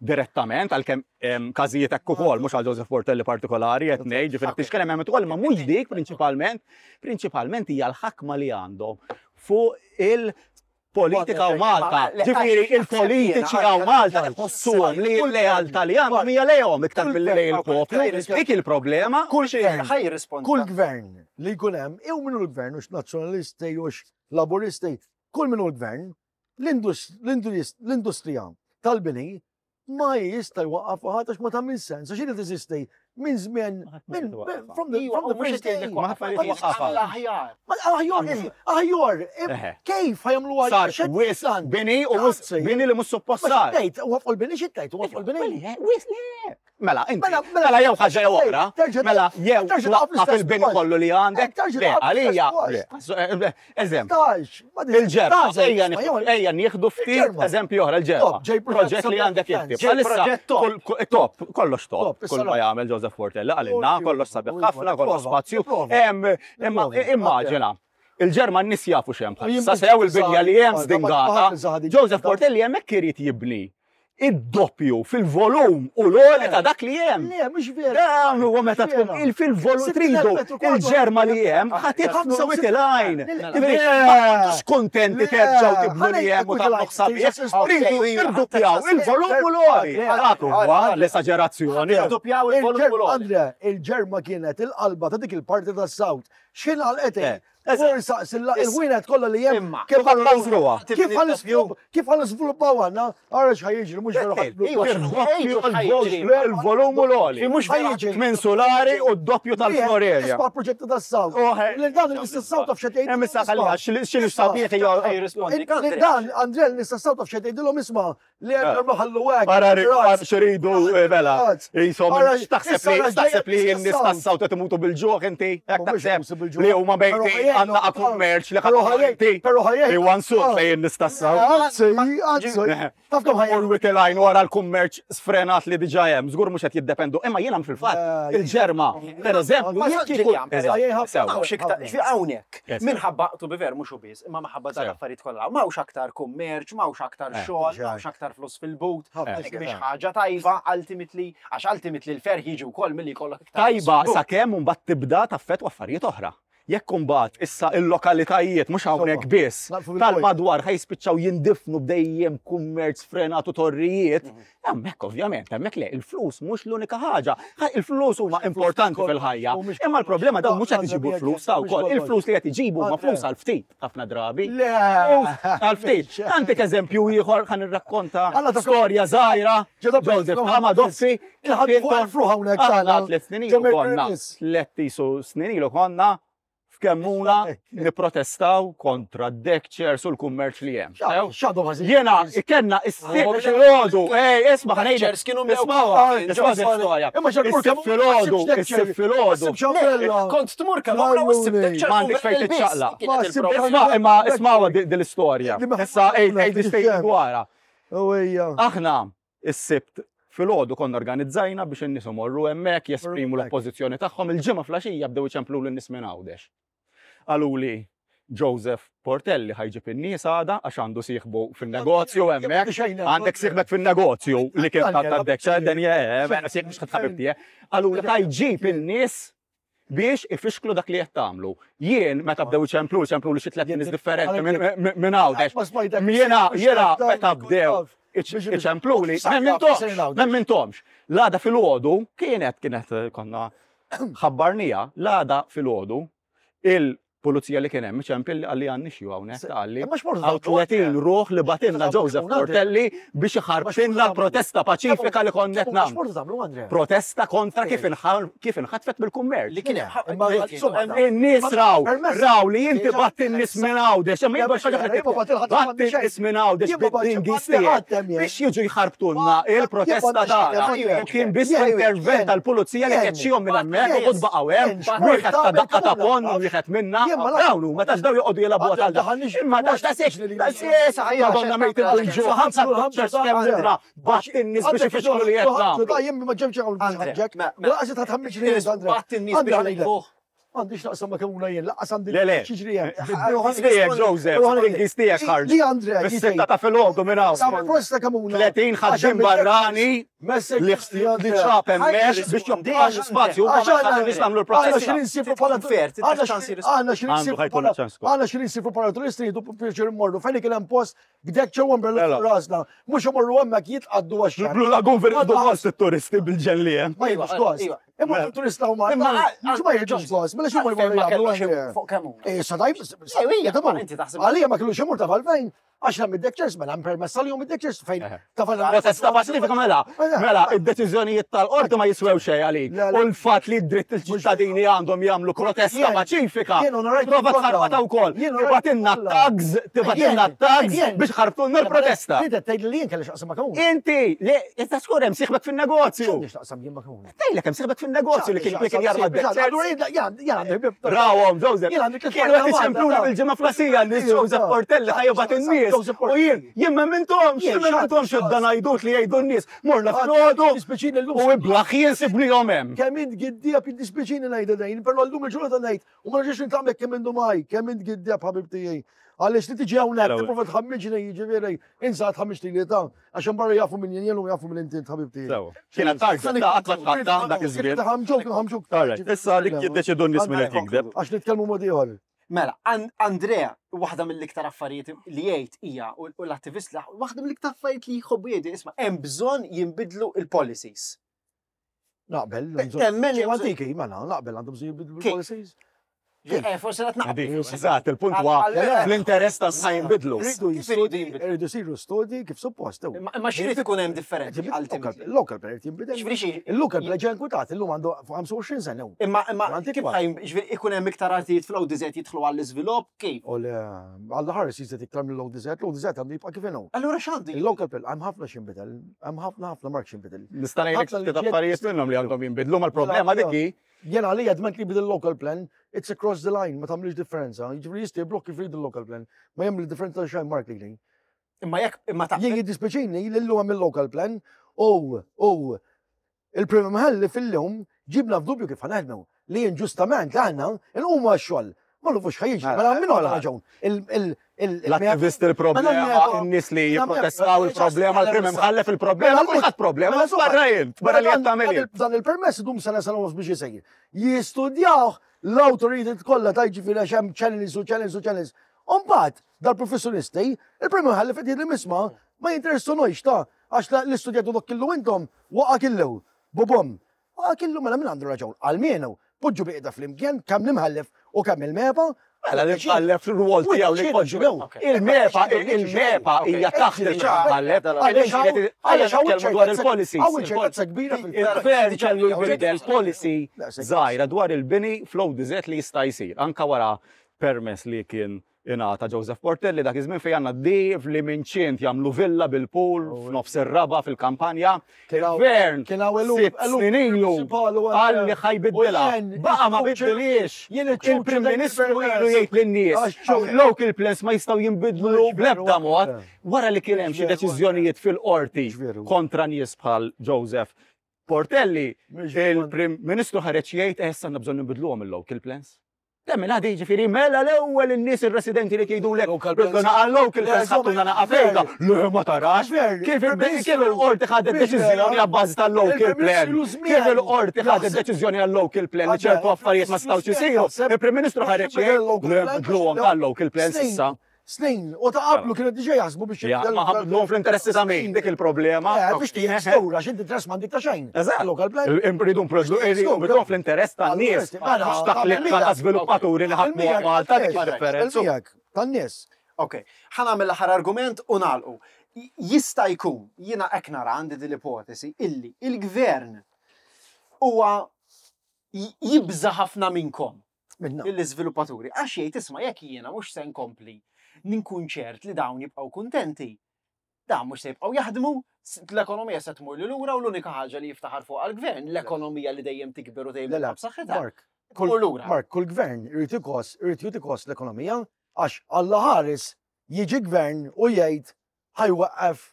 direttament għalkemm każijiet hekk ukoll mhux għal Joseph Portelli partikolari qed ngħid, ġifieri tixkellem hemm ukoll ma mhux dik prinċipalment, prinċipalment hija l-ħakma li għandhom fuq il-politika u Malta. Ġifieri il-politiċi għaw Malta jħossuhom li l-lealtà li għandhom hija lejhom iktar milli lejn il-poplu. Dik il-problema. Kull kull gvern li jkun hemm, jew minnu l-gvern hux nazzjonalisti hux laburisti, kull minnu l-gvern, l-industrija tal-bini ma jista' jwaqqaf ħadd għax ma tagħmel sens, għax irid teżisti minn żmien minn from the from the first day. Aħjar. Aħjar, aħjar, kif ħajamlu Sar wis bini u wis bini li mhux suppost sar. Tgħid, waqfu l-bini xi tgħid, waqfu l-bini. Wis le. Mela, inti, mela jew ħaġa jew oħra, mela jew twaqqaf il-bini kollu li għandek, le, għalija, eżempju, il-Ġerba, ejja nieħdu ftit eżempju oħra, il-Ġerba, proġett li għandek inti. Top, kollox top, kull ma jagħmel Joseph Portelli għalilna, kollox sabiħ ħafna, kollox spazju, imma immaġina, il-Ġerma n-nies jafu x'hemm bħalissa, sew il-binja li hemm żdingata, Joseph Portelli hemmhekk irid jibni id-doppju fil-volum u l-għoli ta' dak li hemm. Le, mhux vera. Dan huwa meta tkun fil-volum tridu il-Ġerma li hemm ħa titfnu witilajn. Mhux kontenti terġgħu tibnu li hemm u tagħmlu sabiħ. Tridu irdoppjaw il-volum u l-għoli. Dak huwa l-esaġerazzjoni. Irdoppjaw il-volum u l-għoli. Andre, il-Ġerma kienet il-qalba ta' dik il-parti tas-South. X'ħin għalqet? Forsa, il-wienet kollha li hemm kif kif ħan iżviluppaw għandna, ara x'ħa jiġri mhux veru Il-volum u l-għoli. Mhux ħajġi. Minn solari u d-doppju tal-Florerja. Isma' proġetti tas-South. Dan il-Mister South taf x'qed Hemm issa ħalli x'inhu sabiħ Dan Andre l-Mister South taf x'qed tgħidilhom isma' li hemm ħallu hekk. Ara x'iridu mela. Insomma, x'taħseb li x'taħseb li n-nies tas-South qed imutu bil-ġuħ inti? Hekk taħseb li huma bejti għandna kummerċ li ħadd Però ħajjej. Iwan suq fejn nistassaw. Anzi, anzi. Taf kemm ħajjej. Or witilajn wara l-kummerċ sfrenat li diġà hemm, żgur mhux qed jiddependu. Imma jiena fil-fatt il-Ġerma, pereżempju, hawnhekk. Minħabba tu biver mhux biss, imma minħabba dan affarijiet kollha. M'hawnx aktar kummerċ, m'hawnx aktar xogħol, m'hawnx aktar flus fil-but. Mhix ħaġa tajba ultimately, għax ultimately l-ferħ jiġi wkoll milli jkollok iktar. Tajba sakemm mbagħad tibda taffettwa affarijiet oħra. Jekk imbagħad issa il-lokalitajiet mhux hawnhekk biss tal-madwar ħajspiċċaw jindifnu b'dejjem kummerċ sfrenat u torrijiet, hemmhekk ovvjament, hemmhekk le, il-flus mhux l-unika ħaġa. Il-flus huma importanti fil-ħajja, imma l-problema dawn mhux qed iġibu flus ta' wkoll, il-flus li qed iġibu huma flus għal ftit ħafna drabi. Għal ftit. Għandek eżempju ieħor ħa nirrakkonta storja żgħira, Joseph Amadoffi, tliet snin ilu konna, tliet snin ilu konna f'Kemmuna niprotestaw kontra d-deck chairs u l-kummerċ li hemm. Jiena kellna is-sibt filgħodu, ej, isma' ħa ngħidlek. Isma' storja. Is-sibt filgħodu, is-sibt filgħodu. Kont tmur Kemmuna u s-sibt deck chairs. M'għandek fejn tiċċaqlaq. Isma' imma isma'wa din l-istorja. Issa ej ej dwarha. Aħna is-sibt filgħodu konna organizzajna biex in-nies imorru hemmhekk jesprimu l-oppożizzjoni tagħhom. Il-ġimgħa flaxija bdew iċemplu lin-nies minn Għawdex. Qaluli Joseph Portelli ħajġib in-nies għada għax għandu sieħbu fin-negozju hemmhekk. Għandek sieħbek fin-negozju li kien tad-deck chair, sieħbek mhux ħabib tiegħek. Qaluli ħajġib in-nies biex ifixklu dak li qed tagħmlu. Jien meta bdew iċemplu, iċemplu li xi tliet nies differenti minn Għawdex. Jiena jiena meta bdew iċemplu li m'emminthomx. L-għada filgħodu kienet kienet konna ħabbarnija, l-għada filgħodu il pulizija li kien hemm ċempil li qalli għandni xi hawnhekk qalli. Imma x'mortu Għaw tagħmlu? tletin ruħ li batilna Joseph Portelli biex iħarbtilna l-protesta paċifika li konna qed nagħmlu. X'mortu tagħmlu, Andrea? Protesta kontra kif inħar- kif inħatfet bil-kummerċ. Li kien Imma insomma, In-nies raw, Permess. raw li inti batt in-nies minn Għawdex, imma jibgħu xi ħaġa Jien ma batt il-ħadd batt in-nies minn Għawdex Jien ma batt- bid-dingis jien ma tiegħek batt hemm jien. biex jiġu jħarbtulna il-protesta Jien ma batt tagħna. jien. U kien biss Jien- intervent jien- tal-pulizija li jien- keċċihom minn hemmhekk u jien- baqgħu hemm, jien- wieħed ta' daqqa ta' jien- ponn u wieħed minna. Jien ma nafx- Dawn huma tax daw joqogħdu jilagħbu għal dan. Imma tax ta' siex, ta' siex, Madonna mejt il-ġu, ħamsa ċerts kemm litra, batt in-nies biex ifixklu li qed nagħmlu. Ta' jien ma ġemx hawn Andre, ġek. ma- ma- Laqas ta' tħammiġ li jien, Andre. Batt in-nies Andre, biex ħanejlek. jilagħbuh. Għandix naqsam ma kemuna jien, laqas għandi Le, le. xiġri hemm. Tiegħek Joseph, dingis tiegħek ħarġ. Li Andre, Fis-sitta ta' filgħodu minn hawn. Sa' prosta kamuna. tletin ħaddiem barrani li li ċap hemmhekk biex joqgħod spazju ma ħallinix nagħmlu Għanna l-protesta. xin insibu bħala Fair, għanna ċans xin- għanna xin Għandu insibu ħajkun bħala ċans kol. għanna xin insibu bħala turisti jidu pjaċir immorru fejn kien hemm post b'dek ċew umbrella Mela. fuq rasna mhux imorru hemmhekk jitqaddu għax Il-Blue Lagoon fil gost it-turisti bil-ġenli hemm. ma jidux gost. Iva. Imma Mela. turista huma Imma mhux ma jidux gost, mela x'huma Għalfejn jmorru ma jagħmlu kellux Andrea? imur fuq kemm huma. Eh, sa dajb, Ej, hija, ma inti taħseb- Għalija ma kellux imur ta' falfejn, għax hemm id-dekċers, mela hemm permess għalihom id-dekċers fejn ta' falfejn. Protesta paċifika mela. Mela, id-deċiżjonijiet tal-qorti ma jiswew xejn għalik. Le, le. U l-fatt li d-dritt il-ċittadini għandhom jagħmlu protesta Jien- paċifika. jien onorajt Prova kollha. tħarbata wkoll. Jien onorajt Tibatilna kollha. tags, tibatilna Jien- tags jien- biex ħarbtulna l-protesta. Inti qed tgħid li jien kelli x'aqsam ma' kamuna. Inti, le, inta skur hemm sieħbek fin-negozju. X'għandix taqsam jien ma' kamuna. Tgħidlek hemm sieħbek fin-negozju li kien li kien jarma d-dekċers. Allura jien jien għandi ħbieb. Rawhom, Joseph. Jien għandi tliet Kienu qed Malta, iċempluna ta' bil-ġimgħa flasija li Joseph Portelli ħajbat in-nies. Joseph U Portelli. jien, jien ma mintomx, Jien jien ma mintomx xatt- dan għajdut li jgħidu n-nies. Morna filgħodu Dispiċini llum. u iblaħ sibnihom hemm. Kemm int giddija jiddispjaċini ngħidha dejn, però llum il-ġurnata ngħid u ma nerġax nitgħamlek kemm indu maj, kemm int giddija ħabib tiegħi. Għaliex li tiġi hawnhekk Mela, tipprova tħammiġni jiġifieri insa tħammiġ li ta' għax hemm barra jafu min jien u jafu min inti ħabib tiegħi. Sewa. Kienet tarġa ta' qatt ma tħatta dak iż-żmien. Ħamġuk, ħamġuk. Alright, issa dik jiddeċidu n-nies min qed jikdeb. Għax nitkellmu mod ieħor. Mela, An- Andrea, waħda mill-iktar affarijiet li jgħid hija u u l-attivist waħda mill-iktar affarijiet li jħobbu jgħidu isma' hemm bżonn jinbidlu il-policies. Naqbel, Temmen li ġew antiki, mela, naqbel għandhom bżonn jibdlu Kif? l-policies. Eh, forsi qed naqbel. Eżatt, il-punt huwa Għal- għal- fl-interess ta' sa jinbidlu. Rridu Kif iridu jistudji, jinbidlu? rridu jsiru studji kif suppost. Imma imma x'irid ikun hemm differenti ultimately. Local plan irid jinbidel. Ġifieri xi- Il-local plan ġie inkwitat, illum għandu ħamsa u għoxrin sena. hu. Imma imma Antikwat. kif ħajn ġifieri ikun hemm iktar artijiet fl-O D Z jidħlu għall-iżvilupp kif? U le, għalla ħares jizet iktar mill-O D Z, l-O D Z għandu jibqa' kif inhu. Allura x'għandu? Il-local plan, hemm ħafna x'inbidel, hemm ħafna ħafna mark x'inbidel. Nista' ngħidlek Ħafna ftit liġijiet- affarijiet minnhom li għandhom jinbidlu mal-problema dik hi Jena għalija dment li bidel local plan, it's across the line, ma tagħmlix differenza. Jiġifieri jista' blokki jrid il-local plan, ma jagħmel differenza xejn mark li. Imma jekk imma ta' Jien jiddispjaċini li llum hemm il-local plan u u il-Prim Imħallef fil-lum ġibna f'dubju kif ħanaħdmu li inġustament aħna nqumu għax-xogħol. Ma nafux ħajjiġi, mela min għandha raġun. L-attivist il-problema, in-nies li jipprotestaw il-problema, il-Prim Imħallef il-problema, kulħadd problema, barra jint, barra li qed tagħmel int. Dan il-permess idum sena sena nofs biex isejr. Jistudjawh l-awtoritajiet kollha ta' jiġifieri għax hemm channels u channels u channels. U mbagħad dal-professjonisti, il-Prim Imħallef qed jgħid li misma ma jinteressunux ta' għax l-istudjatu dak killu intom waqa' killu. Bobom. Waqa' killu mela min għandu raġun. Almenu poġġu biqda flimkien kemm l-imħallef u kemm il-MEPA. Mela l-imħallef r-rwol tiegħu li jpoġġu. Il-MEPA, il-MEPA hija taħt il-imħallef. Għaliex nitkellmu dwar il-policies. Hawn ċertezza kbira fil- Il-gvern kellu jbidel policy żgħira dwar il-bini fl-O D Z li jista' jsir. Anka wara permess li kien ingħata Joseph Portelli dak iż-żmien fejn għandna d li minn ċint jagħmlu villa bil-pool f'nofs ir-raba fil-kampanja. Il-gvern Kien hawn eluf- sitt eluf snin ilu prinċipali u qal li ħa jbiddilha. U jien- Baqa' ma biddilix. Jien iċ-ċuċ Il-Prim dak Ministru il-permess. ilu jgħid lin-nies. Għax ċuċ. Local plans ma jistgħu jinbidlu Mhux bl-ebda veru, mod. eh. Wara li kien hemm xi Mhux veru, deċiżjonijiet fil-qorti Mhux veru. kontra nies bħal Joseph Portelli, Mhux veru. il-Prim Ministru ħareġ jgħid eh, issa għandna bżonn nibidluhom il-local plans. Temmen għadi ġifieri mela l-ewwel in-nies ir-residenti li jgħidulek Local plans. bidluna għal-local plans ħattuna naqa fejda. Le ma tarax. Ver, Kif il-Prim kif il-qorti ħadet Mhux deċiżjoni vera. għabbażi tal-local Il-Prim plan. Ministru żmien. Kif il-qorti ħadet Jaħseb- deċiżjoni għal-local plan li ċertu affarijiet ma stawx isiru. Il-Prim Ministru ħareġ jgħid le bidluhom tal-local plans Snin. issa. Snin, u ta' qablu kienu diġà jaħsbu biex Ja, ma ħabduhom fl-interessi ta' min, dik il-problema. Eh, biex tiegħek sura, x'inti interess m'għandek ta' xejn. Eżatt. Local plan. Irridu nbidluhom fl-interess tan-nies. Mela, Mhux ta' klikka ta' żviluppaturi li ħadmu Malta dik id-differenza. Miegħek, tan-nies. Ok, ħa nagħmel l-aħħar argument u nagħlqu. Jista' jkun, jiena hekk nara għandi din l-ipotesi, illi il-gvern huwa jibża ħafna minnkom. Minna. Il-iżviluppaturi. Għax jgħid isma' jekk jiena mhux se nkompli ninkun ċert li dawn jibqgħu kuntenti. Dawn mhux se jibqgħu jaħdmu, l-ekonomija se tmur li lura u l-unika ħaġa li jiftaħar fuq għall-gvern, l-ekonomija li dejjem tikber u dejjem Le, le, tibqa' b'saħħitha. Mark, Tmur lura. Mark, kull gvern irid ikos, irid jikos l-ekonomija għax Alla ħares jiġi gvern u jgħid ħa jwaqqaf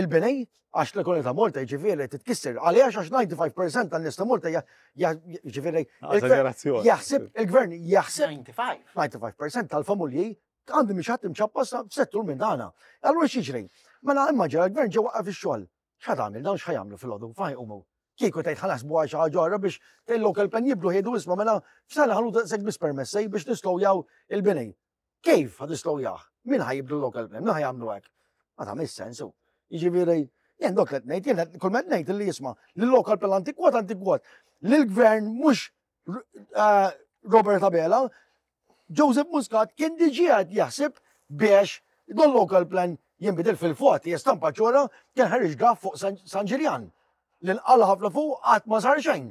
il-bini għax l-ekonomija ta' Malta jiġifieri titkisser. Għaliex għax disgħa u disgħin fil-mija tan-nies ta' Malta jiġifieri Eżagerazzjoni. jaħseb il-gvern jaħseb disgħa u disgħin. disgħa u disgħin fil-mija tal-familji għandi mhix ħadd imċappas f'settur minn dana. Allura x'jiġri? Mela immaġina l-gvern ġew waqqaf ix-xogħol. X'ħa tagħmel dawn x'ħa jagħmlu filgħodu fejn jqumu? Kieku tgħid ħa naħsbu għal xi ħaġa oħra biex il-local plan jibdlu jgħidu isma' mela f'sena ħa nagħtu daqshekk biss permessi biex nislowjaw il-bini. Kif ħa tislowjah? Min ħa jibdlu l-local plan? Min ħa jagħmlu hekk? Ma tagħmilx sensu. Jiġifieri, jien dok qed ngħid, jien kull ma qed ngħid li jisma' li l-local plan antikwat antikwat. Li l-gvern mhux eh, Robert Abela, Joseph Muscat kien diġà qed jaħseb biex don local plan jinbidel fil-fot, jestampa ċora kien ħareġ draft fuq San San Ġiljan. Li nqala ħafna fuq qatt ma sar xejn.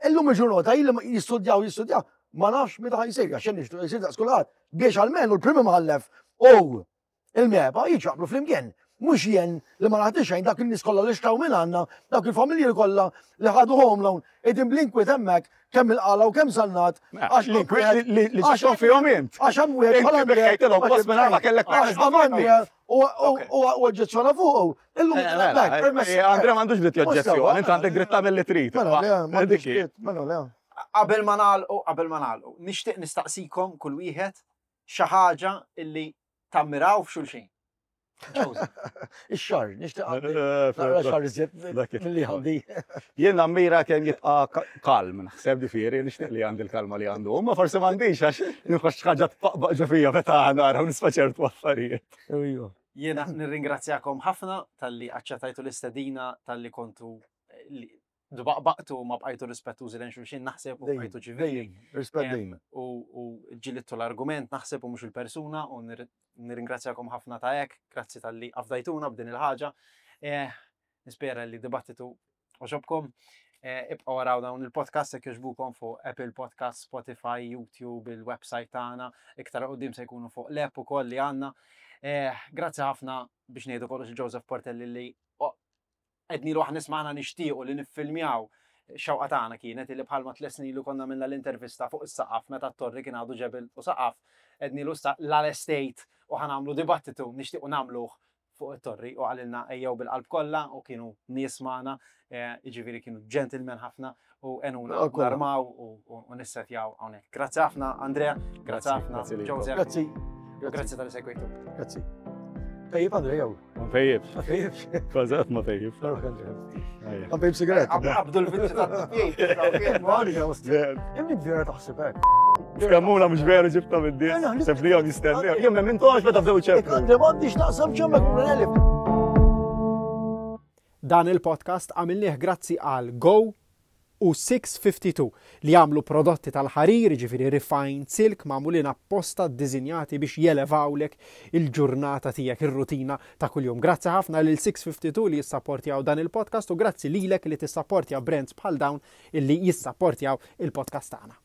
Illum il-ġurnata illi jistudjaw jistudjaw, ma nafx meta ħa jsir, għax nixtieq jsir daqs kulħadd biex almenu l-prim imħallef u il-MEPA jiġu flimkien. Mhux jien li ma naħti xejn dak in-nies kollha li xtraw minn għandna, dak il-familji kollha li ħadu home loan, qegħdin bl-inkwiet hemmhekk kemm il-Qala u kemm Sannat. Għax l-inkwiet li li ġibthom fihom int. Għax hemm wieħed Inti bħala Andrea, bikkejtilhom post minn ma kellek għax permess. Andrea u u oġġezzjona fuqu. Illum Eh, mela, permess. eh, Andrea m'għandux dritt joġġezzjoni, inti għandek dritt tagħmel li trid. Mela, le, m'għandux Dik hi. dritt, mela, le. Qabel ma nagħlqu, qabel ma nagħlqu, nixtieq nistaqsikom kull wieħed xi ħaġa illi tammiraw f'xulxin. Joseph. Ix-xagħar, nixtieq għandi. Eh, Naqra xagħar iżjed Dak it. milli għandi. Jien nammira kemm jibqa' ka- kalm, naħseb ġifieri, nixtieq li għandi l-kalma li għandu. Ma forsi m'għandix għax nħoss ħaġa tpaqbaq ġo fija meta nara u nisma' ċertu affarijiet. Ejju. Jiena nirringrazzjakom ħafna talli aċċettajtu l-istedina, talli kontu eh, li dbaqbaqtu ma bqajtu rispettużi lejn xulxin, naħseb u Dejjem, bqajtu ċivili. dejjem, rispett Eh, dejjem. U u ġilittu l-argument, naħseb u mhux il-persuna, u nir- nirringrazzjakom ħafna ta' hekk, grazzi talli afdajtuna b'din il-ħaġa. Eh, Nispera li dibattitu għoġobkom. Eh, Ibqgħu waraw dawn il-podcast jekk jogħġbukom fuq Apple Podcast, Spotify, YouTube, il-website tagħna, iktar quddiem se jkunu fuq l-app ukoll li għandna. Eh, Grazzi ħafna biex ngħidu kollox Joseph Portelli li oh, għednilu aħna nisma'na nixtiequ li niffilmjaw xewqa tagħna kienet li bħalma tliet snin ilu konna minna l-intervista fuq is-saqaf meta t-torri kien għadu ġebel u saqaf għednilu issa l-estate u ħa nagħmlu dibattitu nixtiequ nagħmluh fuq it-torri u qalilna ejjew bil-qalb kollha u kienu nies magħna, eh, jiġifieri kienu gentlemen ħafna u għenuna Ah, kollha. narmaw u- u u nissetjaw hawnhekk. Grazzi ħafna Andrea, grazzi ħafna Grazzi lilkom. Joseph, Grazzi. u grazzi talli segwejtu. Grazzi. Pejjep Andrea jew. Ma pejjibx, Ma pejjibx. kważi ma pejjibx. Narok Andrea. Ejja. Ma pejjeb sigaretta. Qabdu l-vizzju ta' Imni vera taħseb hekk. F'Kemmuna mhux veru ġibta mid-dies, seb li jom jistennew. Jien minn tox meta bdew ċeplu. Andrea m'għandix naqsam ġemmek minn elif. Dan il-podcast għamilnieh grazzi għal Go u sitt mija u tnejn u ħamsin li jagħmlu prodotti tal-ħarir, ġifieri refined silk magħmulin apposta ddisinjati biex jelevawlek il-ġurnata tiegħek, ir-rutina ta' kuljum. Grazzi ħafna lil sitt mija u tnejn u ħamsin li jissapportjaw dan il-podcast u grazzi lilek li tissapportja brands bħal dawn illi jissapportjaw il-podcast tagħna.